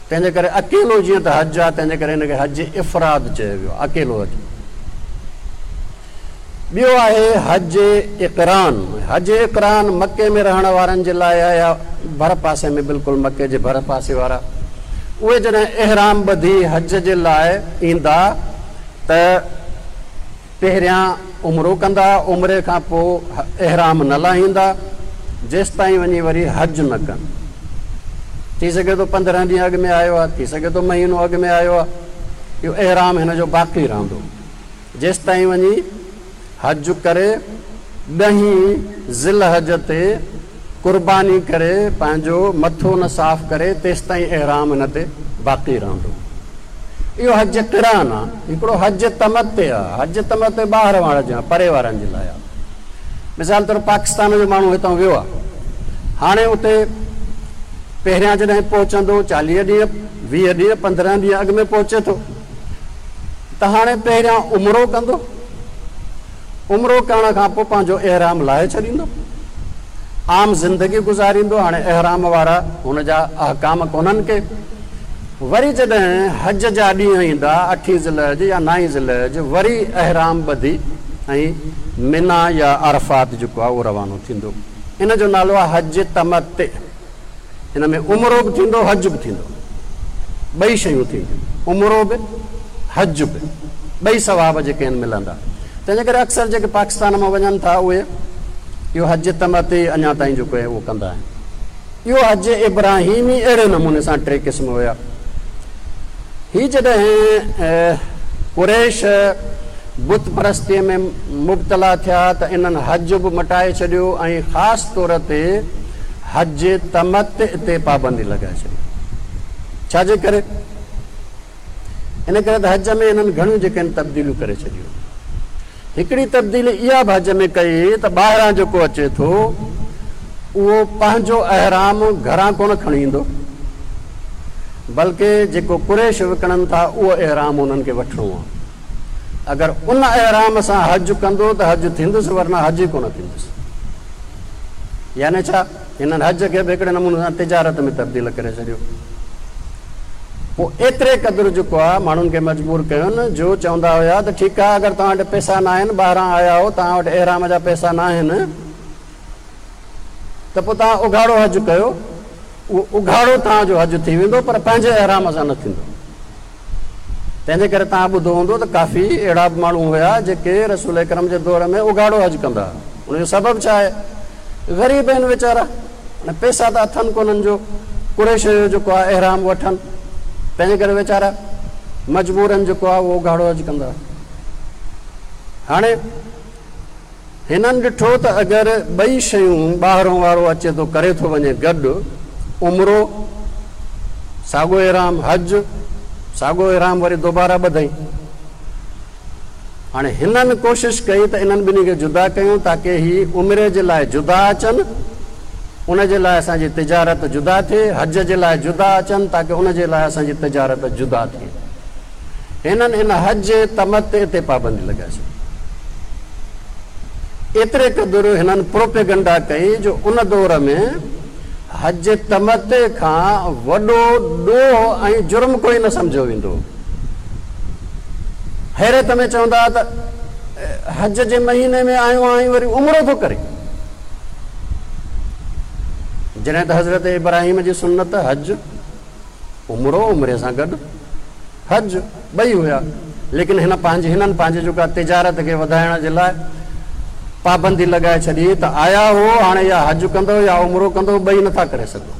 تنهن جي ڪري اڪيلو جيئن ته حج آهي تنهن جي ڪري ان کي حج افراد چيو ويو آهي، اڪيلو حج. ٻيو آهي حج اقران. حج اقران مڪي ۾ رهڻ وارن جي لاء آهي يا ڀر پاسي ۾ بلڪل مڪي جي ڀر پاسي وارا اهي جڏهن احرام ٻڌي حج جي لاء ايندا ته پهريان عمرو ڪندا، عمري کان پوء احرام نه لاهيندا، جيستائين وڃي وري حج نه ڪن. ٿي سگهي ٿو 15 ڏينهن اڳ ۾ آيو آهي، ٿي سگهي ٿو مهينو اڳ ۾ آيو آهي، اهو احرام هن جو باقي رهندو، جيستائين وڃي حج ڪري ڏهين ذي الحج تي قرباني ڪري پنهنجو مٿو نه صاف ڪري تيستائين احرام هن تي باقي رهندو. اهو حج قران آ. هڪڙو حج تمتع آ. حج تمتع ٻاهر وارن جي پري وارن جي لاء آ. مثال طور پاڪستان جو ماڻهو هتان ويو آ. هاڻي اتي پهريان جڏهن پهچندو 40 ڏينهن، 20 ڏينهن، 15 ڏينهن اڳ ۾ پهچي ٿو ته هاڻي پهريان عمرو ڪندو. عمرو ڪرڻ کان پوء پنهنجو احرام لاهي ڇڏيندو. عام زندگي گذاريندو. هاڻي احرام وارا هن جا احڪام ڪونهن ڪي. وري جڏهن حج جا ڏينهن ايندا، اٺين ذي الحج يا نائين ذي الحج، وري احرام ٻڌي ۽ منيٰ يا عرفات جيڪو آهي اهو روانو ٿيندو. ان جو نالو آهي حج تمتع. ان ۾ عمرو به ٿيندو، حج به ٿيندو. ٻئي شيون ٿينديون، عمرو به حج به، ٻئي ثواب جيڪي آهن ملندا. تنهن جي ڪري اڪثر جيڪي پاڪستان مان وڃن ٿا اهي اهو حج تمتع اڃا تائين جيڪو آهي اهو ڪندا آهن. اهو حج ابراهيمي اهڙي نموني سان ٽي قسم هيا. هي جڏهن قريش بت پرستيء ۾ مبتلا ٿيا ته انهن حج به مٽائي ڇڏيو ۽ خاص طور تي حج تمتع تي پابندي لڳائي ڇڏي. ڇا جي ڪري؟ ان ڪري ته حج ۾ انهن گهڻيون جيڪي آهن تبديليون ڪري ڇڏيون. هڪڙي تبديلي اها به حج ۾ ڪئي ته ٻاهران جيڪو اچي ٿو اهو پنهنجو احرام گهران ڪونه کڻي ايندو بلڪه جيڪو قريش وڪڻن ٿا اهو احرام انهن کي وٺڻو آهي. اگر ان احرام سان حج ڪندو ته حج ٿيندس ورنه حج ئي ڪونه ٿيندس. يعني ڇا؟ هنن حج کي به هڪڙي نموني سان تجارت ۾ تبديل ڪري ڇڏيو. پوء ايتري قدر جيڪو آهي ماڻهن کي مجبور ڪيون جو چوندا هيا ته ٺيڪ آهي اگر توهان وٽ پئسا ناهن، ٻاهران آيا آهيو، توهان وٽ احرام جا پئسا ناهن ته پوء توهان اگهاڙو حج ڪيو، اهو اگهاڙو توهان جو حج ٿي ويندو پر پنهنجي احرام سان نه ٿيندو. تنهن جي ڪري توهان ٻڌو هوندو ته ڪافي اهڙا به ماڻهو هيا جيڪي رسول اڪرم جي دور ۾ اگهاڙو حج ڪندا هئا. ان جو سبب ڇا آهي؟ غريب آهن ويچارا، هاڻي پئسا ته اٿن ڪونهن جو قريش جو جيڪو آهي احرام وٺن، تنهن جي ڪري ويچارا مجبورن جيڪو آهي اهو اگهاڙو حج ڪندا هئا. هاڻي هنن ڏٺو ته اگر ٻئي شيون ٻاهرون وارو اچي ٿو ڪري ٿو وڃي گڏ، عمرو، ساڳو احرام، حج، ساڳو احرام وري دوباره ٻڌئين. هاڻي هنن ڪوشش ڪئي ته انهن ٻنهي کي جدا ڪيون تاڪه هي عمري جي لاء جدا اچن، ان جي لاء اسان جي تجارت جدا ٿئي، حج جي لاء جدا اچن تاڪه ان جي لاء اسان جي تجارت جدا ٿئي. هنن ان حج تمتع تي پابندي لڳائي ڇڏي. ايتري قدر هنن پروپيگنڊا ڪئي جو ان دور ۾ حج تمتع کان وڏو ڏوهه ۽ جرم ڪوئي نه سمجهيو ويندو هو. حيرت ۾ چوندا ته حج جي مهيني ۾ آيو آهين وري عمرو ٿو ڪرين. جڏهن ته حضرت ابراهيم جي سنت حج، عمرو، عمري سان گڏ حج. ٻئي هيا، ليڪن هن پنهنجي هنن پنهنجي جيڪا تجارت کي وڌائڻ جي لاء پابندي لڳائي ڇڏي ته آيا هو هاڻي يا حج ڪندؤ يا عمرو ڪندؤ، ٻئي نٿا ڪري سگهو.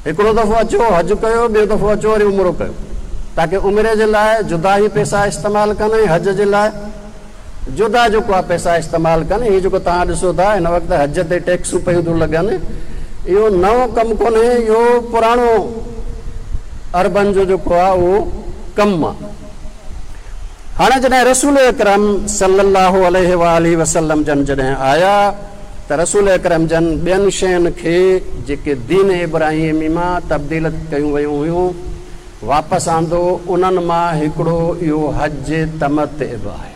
هڪڙو دفعو اچو حج ڪيو، ٻيو دفعو اچو وري عمرو ڪيو، تاڪه عمري جي لاء جدا هي پئسا استعمال ڪن ۽ حج جي لاء جدا جيڪو آهي پئسا استعمال ڪن. هي جيڪو توهان ڏسو ٿا هن وقت حج تي ٽيڪسون پيون ٿيون لڳن، اهو نئون ڪم ڪونهي، اهو پراڻو عربن جو جيڪو آهي اهو ڪم آهي. هاڻي جڏهن رسول اڪرم صلي الله عليه واٰله وسلم جن جڏهن آيا ته رسول اڪرم جن ٻين شين کي جيڪي دين ابراهيمي مان تبديل ڪيون ويون هيون واپس آندو، انهن مان هڪڙو اهو حج تمتع به آهي.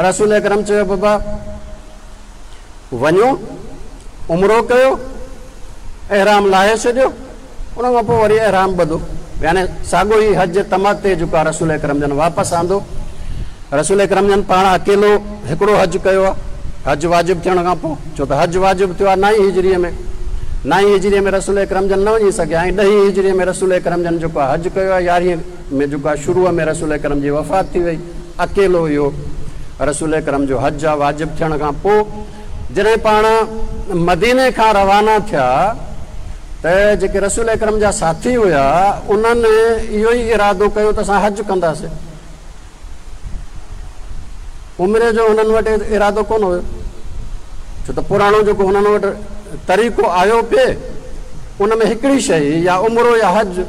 رسول اڪرم چيو بابا وڃو عمرو ڪيو، احرام لاهي ڇڏيو، ان کان پوء وري احرام ٻڌو، يعني ساڳيو ئي حج تمتع جيڪو آهي رسول اڪرم جن واپس آندو. رسول اڪرم جن پاڻ اڪيلو هڪڙو حج ڪيو آهي، حج واجب ٿيڻ کان پوء، ڇو ته حج واجب ٿيو آهي نائين هجريء ۾، نائين هجريء ۾ رسول اڪرم جن نه وڃي سگهيا ۽ ڏهين هجريء ۾ رسول اڪرم جن جيڪو آهي حج ڪيو آهي، يارهين ۾ جيڪو آهي شروع ۾ رسول اڪرم جي وفات ٿي وئي، اڪيلو اهو رسول اڪرم جو حج آهي واجب ٿيڻ کان پوء. جڏهن پاڻ مديني کان روانا ٿيا ته جيڪي رسول اڪرم جا ساٿي هيا انهن اهو ئي ارادو ڪيو ته اسان حج ڪنداسين. عمري جو هنن وٽ ارادو ڪونه هيو، ڇو ته پراڻو جيڪو هنن وٽ طريقو آيو پئي ان ۾ هڪڙي شيء هئي يا عمرو يا حج.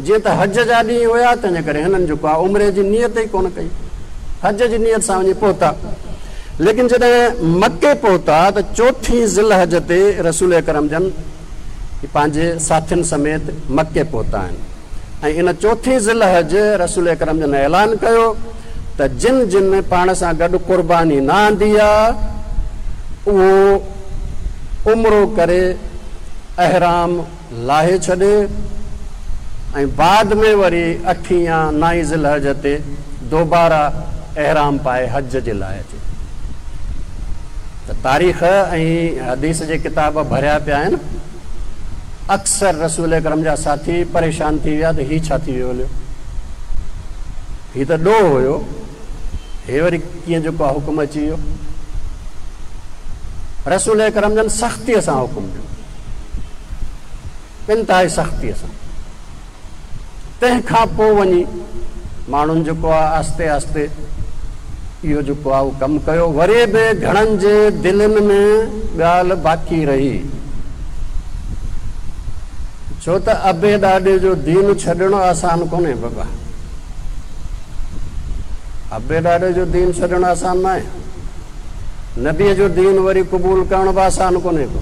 جيئن ته حج جا ڏينهن هيا تنهنجي ڪري هنن جيڪو آهي عمري جي نيت ئي ڪونه ڪئي، حج جي نيت سان وڃي پهتا. ليڪن جڏهن مڪي پهتا ته چوٿين ذوالحج تي رسول اڪرم جن پنهنجي ساٿين سميت مڪي پهتا آهن ۽ ان چوٿين ذوالحج رسول اڪرم جن اعلان ڪيو ته جن جن پاڻ سان گڏ قرباني نه آندي آ اهو عمرو ڪري احرام لاهي ڇڏي ۽ بعد ۾ وري اٺين يا نائين ذوالحج تي دوباره احرام پائي حج جي لاء اچي ته تاريخ ۽ حديث جي ڪتاب ڀريا پيا آهن. اڪثر رسول اڪرم جا ساٿي پريشان ٿي ويا ته هي ڇا ٿي ويو هليو، هي ته ڏوهه هيو، هي وري ڪيئن جيڪو آهي حڪم اچي ويو. رسول اڪرم جن سختيء سان حڪم ڏنو، انتهائي سختيء سان. تنهن کان پوء وڃي ماڻهن جيڪو آهي آهستي آهستي اهو جيڪو آهي اهو ڪم ڪيو. وري به گهڻن جي دلين ۾ ڳالهه باقي رهي، ڇو ته ابي ڏاڏي جو دين ڇڏڻ آسان ڪونهي بابا. ابي ڏاڏي جو دين ڇڏڻ آسان ناهي. نبيء جو دين وري قبول ڪرڻ به آسان ڪونهي ڪو،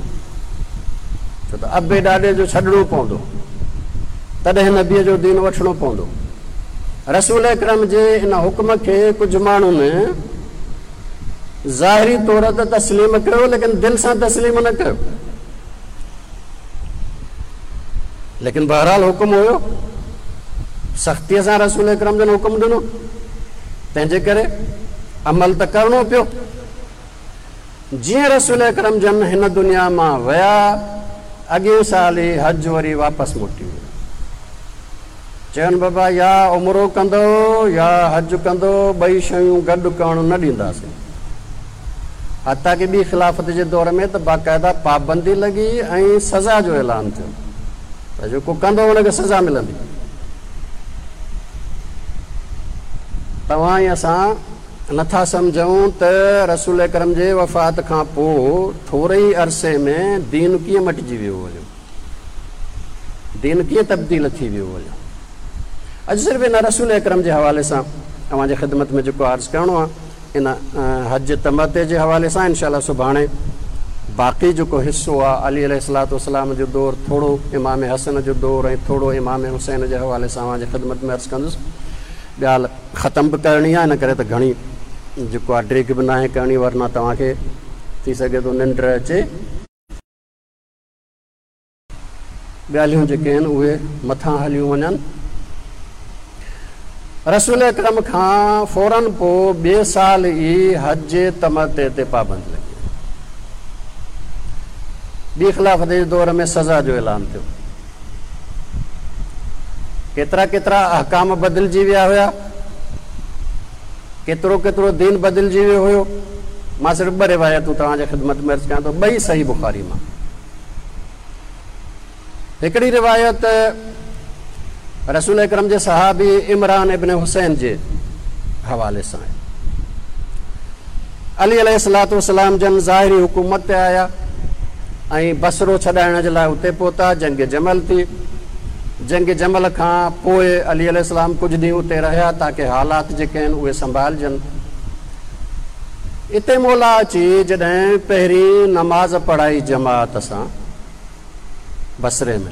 ڇو ته ابي ڏاڏي جو ڇڏڻو پوندو، تڏهن نبيء جو دين وٺڻو پوندو. رسول اڪرم جي ان حڪم کي ڪجهه ماڻهن ظاهري طور ته تسليم ڪيو، ليڪن دل سان تسليم نه ڪيو. ليڪن بهرحال حڪم هيو، سختيء سان رسول اڪرم جن حڪم ڏنو، تنهن جي ڪري عمل ته ڪرڻو پيو. جيئن رسول اڪرم جن هن دنيا مان ويا، اڳئين سال ئي حج وري واپس موٽي ويو. چين بابا يا عمرو ڪندؤ يا حج ڪندؤ، ٻئي شيون گڏ ڪرڻ نه ڏينداسين. حتيٰ ڪه ٻي خلافت جي دور ۾ ته باقاعده پابندي لڳي ۽ سزا جو اعلان ٿيو ته جيڪو ڪندو ان کي سزا ملندي. توهان ۽ اسان نٿا سمجهون ته رسول اڪرم جي وفات کان پوء ٿوري ئي عرصي ۾ دين ڪيئن مٽجي ويو هيو، دين ڪيئن تبديل ٿي ويو هيو. اڄ صرف ان رسول اڪرم جي حوالي سان اوهان جي خدمت ۾ جيڪو عرض ڪرڻو آهي ان حج تمتع جي حوالي سان انشاء الله سڀاڻي باقي جيڪو حصو آ علي عليه الصلوة والسلام جو دور ٿورو امام حسن جو دور ۽ ٿورو امام حسين جي حوالي سان اوهان جي خدمت ۾ عرض ڪندس. ڳالهه ختم به ڪرڻي آ ان ڪري ته گهڻي جيڪو آ ڊيگهه به ناهي ڪرڻي ورنه توهان کي ٿي سگهي ٿو ننڊ اچي. ڳالهيون جيڪي آهن اهي مٿان هليون وڃن. رسول اڪرم کان فوراً پوء ٻئي سال ئي حج تمتع تي پابند لڳي وئي. ٻي خلافت جي دور ۾ سزا جو اعلان ٿيو. ڪيترا ڪيترا احڪام بدلجي ويا هيا، ڪيترو ڪيترو دين بدلجي ويو هيو. مان صرف ٻه روايتون توهان جي خدمت ۾ عرض ڪيان ٿو، ٻئي صحيح بخاري مان. هڪڙي روايت رسول اڪرم جي صحابي عمران ابن حسين جي حوالي سان آهي. علي عليه الصلوة والسلام جن ظاهري حڪومت تي آيا ۽ بصرو ڇڏائڻ جي لاء اتي پهتا، جنگ جمل ٿي. جنگ جمل کان پوء علي عليه السلام ڪجهه ڏينهن اتي رهيا تاڪه حالات جيڪي آهن اهي سنڀالجن. اتي مولا اچي جڏهن پهرين نماز پڙهائي جماعت سان بصري ۾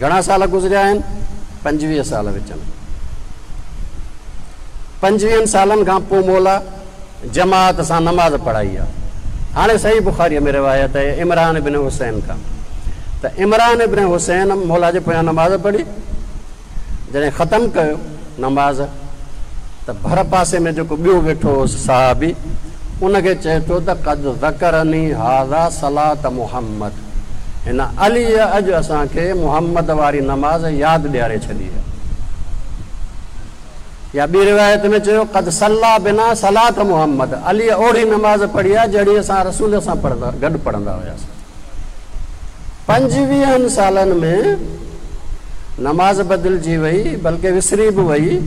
گهڻا سال گذريا آهن؟ 25 سال وچ ۾. پنجويهن سالن کان پوء مولا جماعت سان نماز پڙهائي آ. هاڻي صحيح بخاريء ۾ روايت آهي عمران بن حسين کان ته عمران بن حسين مولا جي پويان نماز پڙهي، جڏهن ختم ڪيو نماز ته ڀر پاسي ۾ جيڪو ٻيو ويٺو هوس صحابي ان کي چئي ٿو ته قد ذڪرني هذا صلاة محمد هن عليء اڄ اسان کي محمد واري نماز ياد ڏياري ڇڏي آهي. يا ٻي روايت ۾ چيو قد صلي بنا صلاة محمد عليء اوڙي نماز پڙهي آهي جهڙي اسان رسول سان گڏ پڙهندا هياسين. پنجويهن سالن ۾ نماز بدلجي وئي بلڪه وسري به وئي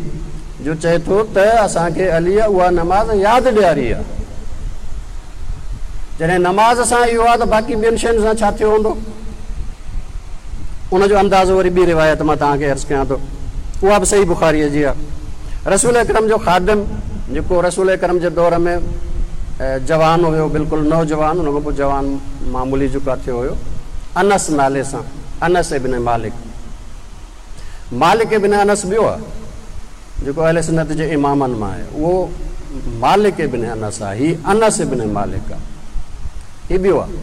جو چئي ٿو ته اسان کي عليء اها نماز ياد ڏياري آهي. جڏهن نماز سان اهو آهي ته باقي ٻين شين سان ڇا ٿيو هوندو؟ ان جو اندازو وري ٻي روايت مان توهان کي عرض ڪيان ٿو، اها به صحيح بخاريء جي آهي. رسول اڪرم جو خادم جيڪو رسول اڪرم جي دور ۾ جوان هيو، بلڪل نوجوان، ان کان پوء جوان معمولي جيڪو ٿيو هيو، انس نالي سان، انس ابن مالڪ، مالڪ ابن انس ٻيو آهي جيڪو اهل سنت جي امامن مان آهي، اهو مالڪ ابن انس آهي، هي انس ابن مالڪ آهي، هي ٻيو آهي.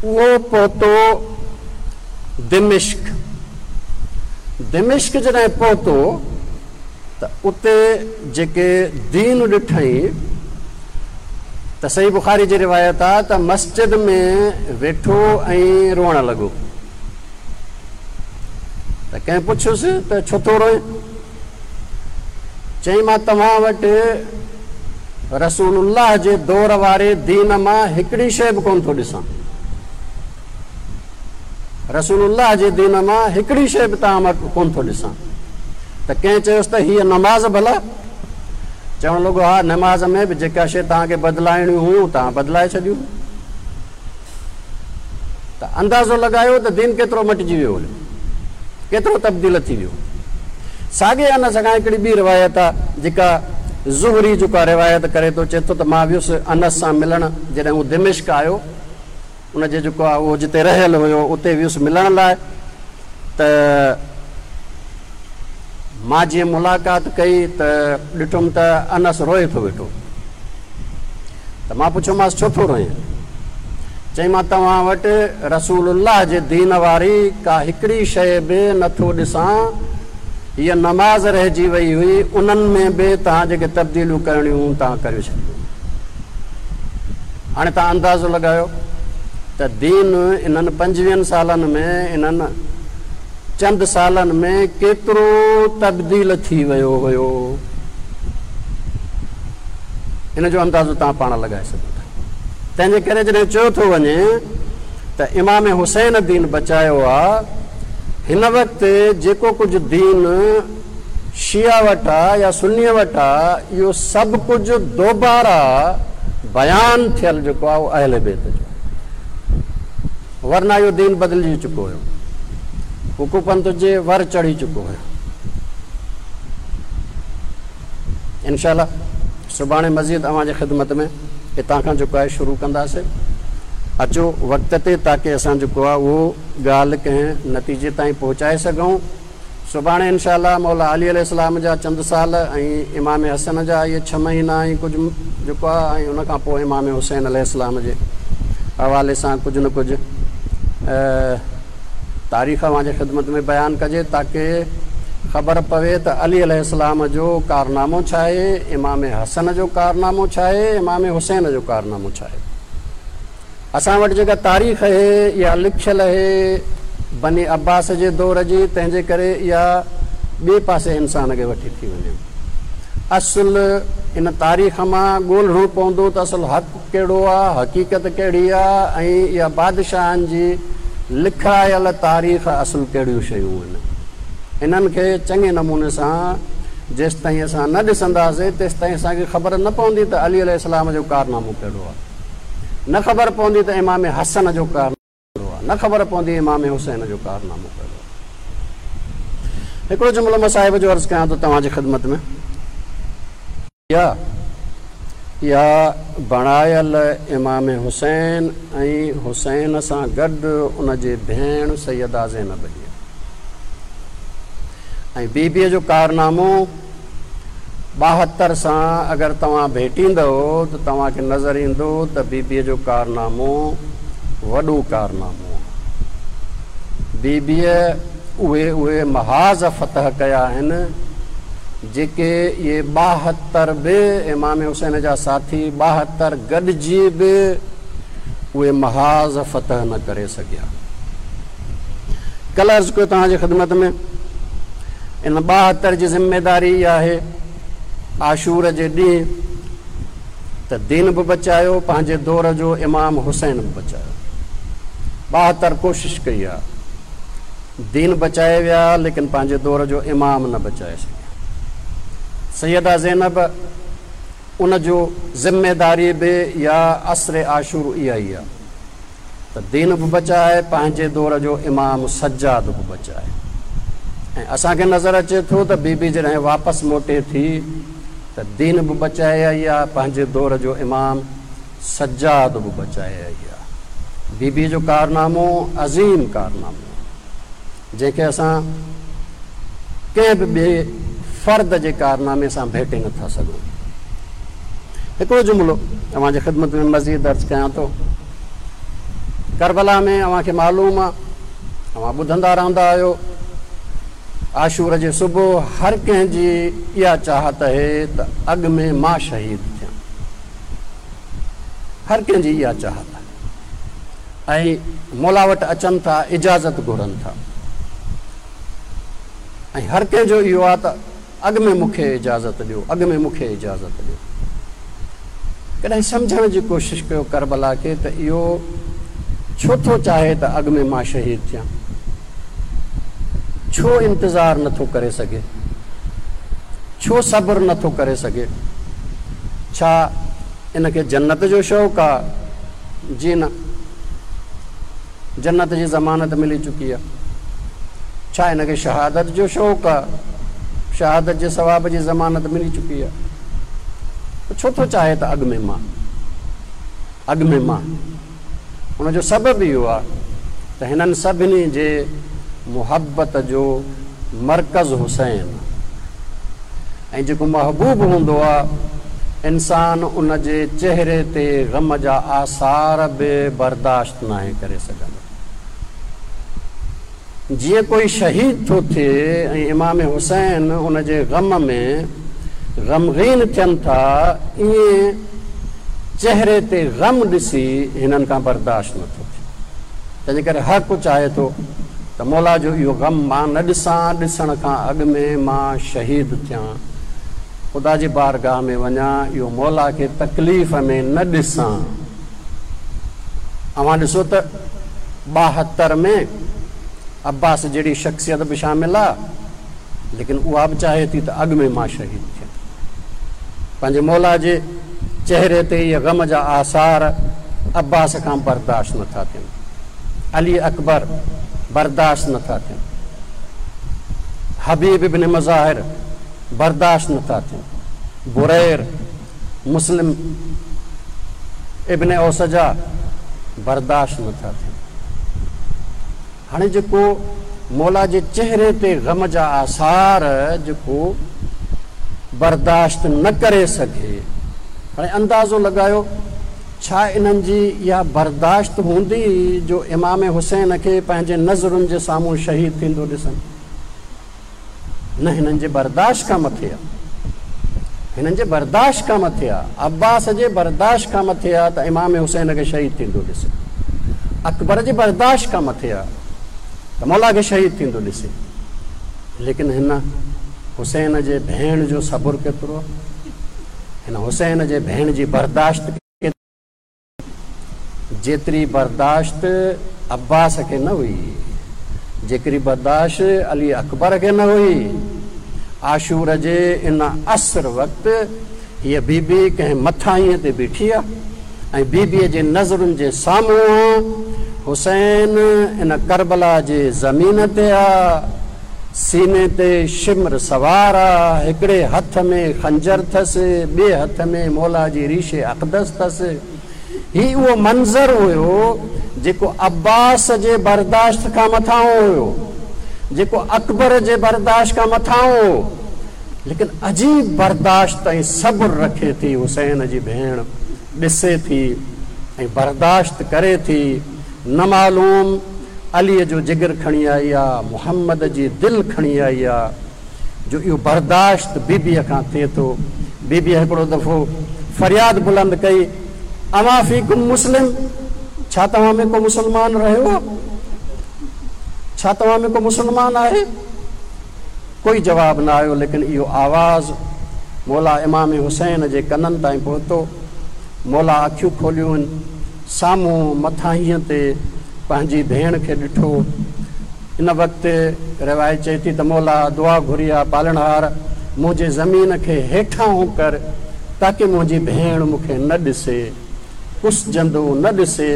اهو پهتو دمشق. دمشق جڏهن پهتو ته اتي جيڪي دين ڏٺائين ته صحيح بخاري جي روايت آ ته مسجد ۾ ويٺو ۽ روئڻ لڳو ته ڪنهن پڇيس ته ڇو ٿو روئين؟ چيائين مان توهان وٽ رسول الله جي دور واري دين مان هڪڙي شيء به ڪونه ٿو ڏسان. رسول الله جي دين مان هڪڙي شيء به توهان وٽ ڪونه ٿو ڏسان. ته ڪنهن چيس ته هيء نماز ڀلا؟ چوڻ لڳو ها نماز ۾ به جيڪا شيء توهان کي بدلائڻيون هيون توهان بدلائي ڇڏيون. ته اندازو لڳايو ته دين ڪيترو مٽجي ويو هليو، ڪيترو تبديل ٿي ويو. ساڳئي انس کان هڪڙي ٻي روايت آ جيڪا زهري جيڪا روايت ڪري ٿو، چئي ٿو ته مان ويس انس سان ملڻ جڏهن هو دمشق آيو، ان جي جيڪو آ اهو جتي رهيل هيو اتي ويس ملڻ لاء ته مان جيئن ملاقات ڪئي ته ڏٺم ته انس روئي ٿو ويٺو. ته مان پڇيومانس ڇو ٿو روئين؟ چيائين مان توهان وٽ رسول الله جي دين واري ڪا هڪڙي شيء به نه ٿو ڏسان، هيء نماز رهجي وئي هئي، انهن ۾ به توهان جيڪي تبديليون ڪرڻيون هيون توهان ڪريو ڇڏيون. هاڻي توهان اندازو لڳايو ته دين انهن پنجويهن سالن ۾ انهن چند سالن ۾ ڪيترو تبديل ٿي ويو هيو. ان جو اندازو توهان پاڻ لڳائي سگهو ٿا. تنهن جي ڪري جڏهن چيو ٿو وڃي ته امام حسين دين بچايو آ، هن وقت جيڪو ڪجهه دين شيعه وٽ آ يا سنيء وٽ آ، اهو سڀ ڪجهه دوباره بيان ٿيل جيڪو آ اهو اهل بيت جو آ. ورنه اهو دين بدلجي چڪو هيو. هو ڪوپنٿ جي ور چڙهي چڪو هيو. انشاء الله سڀاڻي مزيد اوهان جي خدمت ۾ هتان کان جيڪو آهي شروع ڪنداسين. اچو وقت تي تاڪه اسان جيڪو آهي اهو ڳالهه ڪنهن نتيجي تائين پهچائي سگهون. سڀاڻي انشاء الله مولا علي عليه السلام جا چند سال ۽ امام حسن جا اهي ڇهه مهينا ۽ ڪجهه جيڪو آهي ۽ ان کان پوء امام حسين عليه السلام جي حوالي سان ڪجهه نه ڪجهه تاريخ اوهان جي خدمت ۾ بيان ڪجي تاڪه خبر پوي ته علي عليه السلام جو ڪارنامو ڇا آهي، امام حسن جو ڪارنامو ڇا آهي، امام حسين جو ڪارنامو ڇا آهي. اسان وٽ جيڪا تاريخ اهي يا لکيل اهي بني عباس جي دور جي، تنهن جي ڪري اها ٻئي پاسي انسان کي وٺي ٿي وڃي. اصل ان تاريخ مان ڳولڻو پوندو ته اصل حق ڪهڙو آ، حقيقت ڪهڙي آ ۽ اها بادشاهن جي لکرايل تاريخ اصل ڪهڙيون شيون آهن. انهن کي چڱي نموني سان جيستائين اسان نه ڏسنداسين تيستائين اسان کي خبر نه پوندي ته علي عليه السلام جو ڪارنامو ڪهڙو آ، نه خبر پوندي ته امام حسن جو ڪارنامو ڪهڙو آ، نه خبر پوندي امام حسين جو ڪارنامو ڪهڙو آ. هڪڙو جملو مان صاحب جو عرض ڪيان ٿو توهان جي خدمت ۾. اها بڻايل امام حسين ۽ حسين سان گڏ ان جي ڀيڻ سيده زينب جي ۽ بي بيء جو ڪارنامو 72 سان اگر توهان ڀيٽيندؤ ته توهان کي نظر ايندو ته بي بيء جو ڪارنامو وڏو ڪارنامو آهي. بي بيء اهي اهي محاذ فتح ڪيا آهن جيڪي اهي 72 به امام حسين جا ساٿي 72 گڏجي به اهي محاذ فتح نه ڪري سگهيا. ڪلهه عرض ڪيو توهان جي خدمت ۾ ان 72 جي ذميداري اها آهي عاشور جي ڏينهن ته دين به بچايو پنهنجي دور جو امام حسين به بچايو. 72 ڪوشش ڪئي آ دين بچائي ويا ليڪن پنهنجي دور جو امام نه بچائي سگهيا. سيده زينب ان جو ذميداري به يا عصر عاشور اها ئي آ ته دين به بچائي پنهنجي دور جو امام سجاد به بچائي ۽ اسان کي نظر اچي ٿو ته بي بي جڏهن واپس موٽي ٿي ته دين به بچائي آئي آ پنهنجي دور جو امام سجاد به بچائي آئي آ. بي بي جو ڪارنامو عظيم ڪارنامو آ جنهن کي اسان ڪنهن به ٻئي فرد جي ڪارنامي سان ڀيٽي نه ٿا سگهون. هڪڙو جملو اوهان جي خدمت ۾ مزيد عرض ڪيان ٿو. ڪربلا ۾ اوهان کي معلوم آ، اوهان ٻڌندا رهندا آهيو، عاشور جي صبح هر ڪنهن جي اها چاهت اهي ته اڳ ۾ مان شهيد ٿيان. هر ڪنهن جي اها چاهت آهي ۽ مولا وٽ اچن ٿا، اجازت گهرن ٿا ۽ هر ڪنهن جو اهو آ ته اڳ ۾ مون کي اجازت ڏيو، اڳ ۾ مون کي اجازت ڏيو. ڪڏهن سمجهڻ جي ڪوشش ڪيو ڪربلا کي ته اهو ڇو ٿو چاهي ته اڳ ۾ مان شهيد ٿيان؟ ڇو انتظار نه ٿو ڪري سگهي؟ ڇو صبر نه ٿو ڪري سگهي؟ ڇا ان کي جنت جو شوق آ؟ جي نه. جنت جي ضمانت ملي چڪي آ. ڇا هن کي شهادت جو شوق آ؟ شهادت جي ثواب جي ضمانت ملي چڪي آ. ڇو ٿو چاهي ته اڳ ۾ مان، اڳ ۾ مان؟ ان جو سبب اهو آ ته هنن سڀني جي محبت جو مرڪز حسين آ ۽ جيڪو محبوب هوندو آ انسان ان جي چهري تي غم جا آثار به برداشت ناهي ڪري سگهندو. جيئن ڪوئي شهيد ٿو ٿئي ۽ امام حسين ان جي غم ۾ غمگين ٿين ٿا، ائين چهري تي غم ڏسي هنن کان برداشت نه ٿو ٿئي. تنهنجي ڪري هر ڪو چاهي ٿو ته مولا جو اهو غم مان نه ڏسان، ڏسڻ کان اڳ ۾ مان شهيد ٿيان، خدا جي بارگاهه ۾ وڃان، اهو مولا کي تڪليف ۾ نه ڏسان. اوهان ڏسو ته 72 ۾ عباس جهڙي شخصيت به شامل آ، ليڪن اها به چاهي ٿي ته اڳ ۾ مان شهيد ٿيان. پنهنجي مولا جي چهري تي اهي غم جا آثار عباس کان برداشت نه ٿا ٿين، علي اڪبر برداشت نه ٿا ٿين، حبيب ابن مظاهر برداشت نه ٿا ٿين، برير، مسلم ابن اوسجا برداشت نه ٿا ٿين. هاڻي جيڪو مولا جي چهري تي غم جا آثار جيڪو برداشت نه ڪري سگهي، هاڻي اندازو لڳايو ڇا انهن جي اها برداشت هوندي جو امام حسين کي پنهنجي نظرن جي سامهون شهيد ٿيندو ڏسن؟ نه هنن جي برداشت کان مٿي آ. هنن جي برداشت کان مٿي آ. عباس جي برداشت کان مٿي آ ته امام حسين کي شهيد ٿيندو ڏسي. اڪبر جي برداشت کان مٿي آ. ته مولا کي شهيد ٿيندو ڏسي. ليڪن هن حسين جي ڀيڻ جو صبر ڪيترو آ، هن حسين جي ڀيڻ جي برداشت ڪيتري، جيتري برداشت عباس کي نه هئي، جيڪري برداشت علي اڪبر کي نه هئي. عاشور جي ان عصر وقت هيء بي بي ڪنهن مٿاهينء تي بيٺي آ ۽ بي بيء جي نظرن جي سامهون حسين ان ڪربلا جي زمين تي آ، سيني تي شمر سوار آ، هڪڙي هٿ ۾ خنجر ٿس، ٻئي هٿ ۾ مولا جي ريش اقدس ٿس. هي اهو منظر هيو جيڪو عباس جي برداشت کان مٿانهون هيو، جيڪو اڪبر جي برداشت کان مٿانهون هو. ليڪن عجيب برداشت ۽ صبر رکي ٿي حسين جي ڀيڻ، ڏسي ٿي ۽ برداشت ڪري ٿي، نه معلوم علي جو جگر کڻي آئي آ، محمد جي دل کڻي آئي آ، جو اهو برداشت بيبيء کان ٿئي ٿو. بيبيء هڪڙو دفعو فرياد بلند ڪئي، اما فيڪم مسلم، ڇا توهان ۾ ڪو مسلمان رهيو آ؟ ڇا توهان ۾ ڪو مسلمان آهي؟ ڪوئي جواب نه آيو، ليڪن اهو آواز مولا امام حسين جي ڪنن تائين پهتو. مولا اکيون کوليون، سامهون مٿاهينء تي پنهنجي ڀيڻ کي ڏٺو. ان وقت روايت چئي ٿي ته مولا دعا گهري آ پالڻهار منهنجي زمين کي هيٺاهون ڪر تاڪه منهنجي ڀيڻ مون کي نه ڏسي. ڪسجندو نه ڏسي.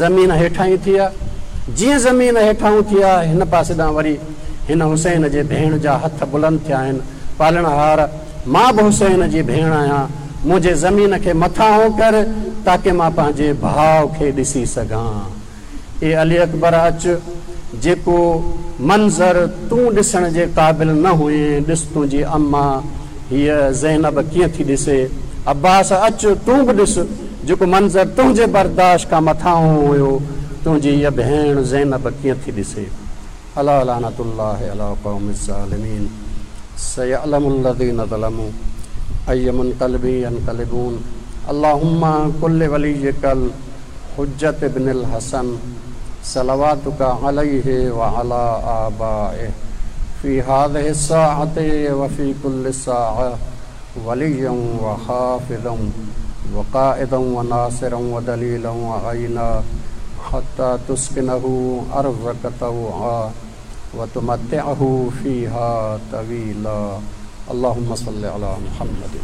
زمين هيٺاهين ٿي آ. جيئن زمين هيٺاهون ٿي آ، هن پاسي ڏانهن وري هن حسين جي ڀيڻ جا هٿ بلند ٿيا آهن، پالڻهار! مان به حسين جي ڀيڻ آهيان، منهنجي زمين کي مٿاهون ڪر، تاڪه مان پنهنجي ڀاء کي ڏسي سگهان. اي علي اڪبر اچ، جيڪو منظر تون ڏسڻ جي قابل نه هئين، ڏس تنهنجي اما هيء زينب ڪيئن ٿي ڏسي. عباس اچ، تون به ڏس، جيڪو منظر تنهنجي برداشت کان مٿانهون هيو، تنهنجي هيء ڀيڻ زينب ڪيئن ٿي ڏسي. الا لعنة الله علي القوم الظالمين سيعلم الذين ظلموا اي منقلب ينقلبون اللهم کن لوليک الحجة ابن الحسن صلواتک عليه وعلي آبائه في هذه الساعة وفي كل ساعة وليا وحافظا وقائدا وناصرا ودليلا وعينا حتى تسكنه أرضك طوعا وتمتعه فيها طويلا اللهم صل على محمد.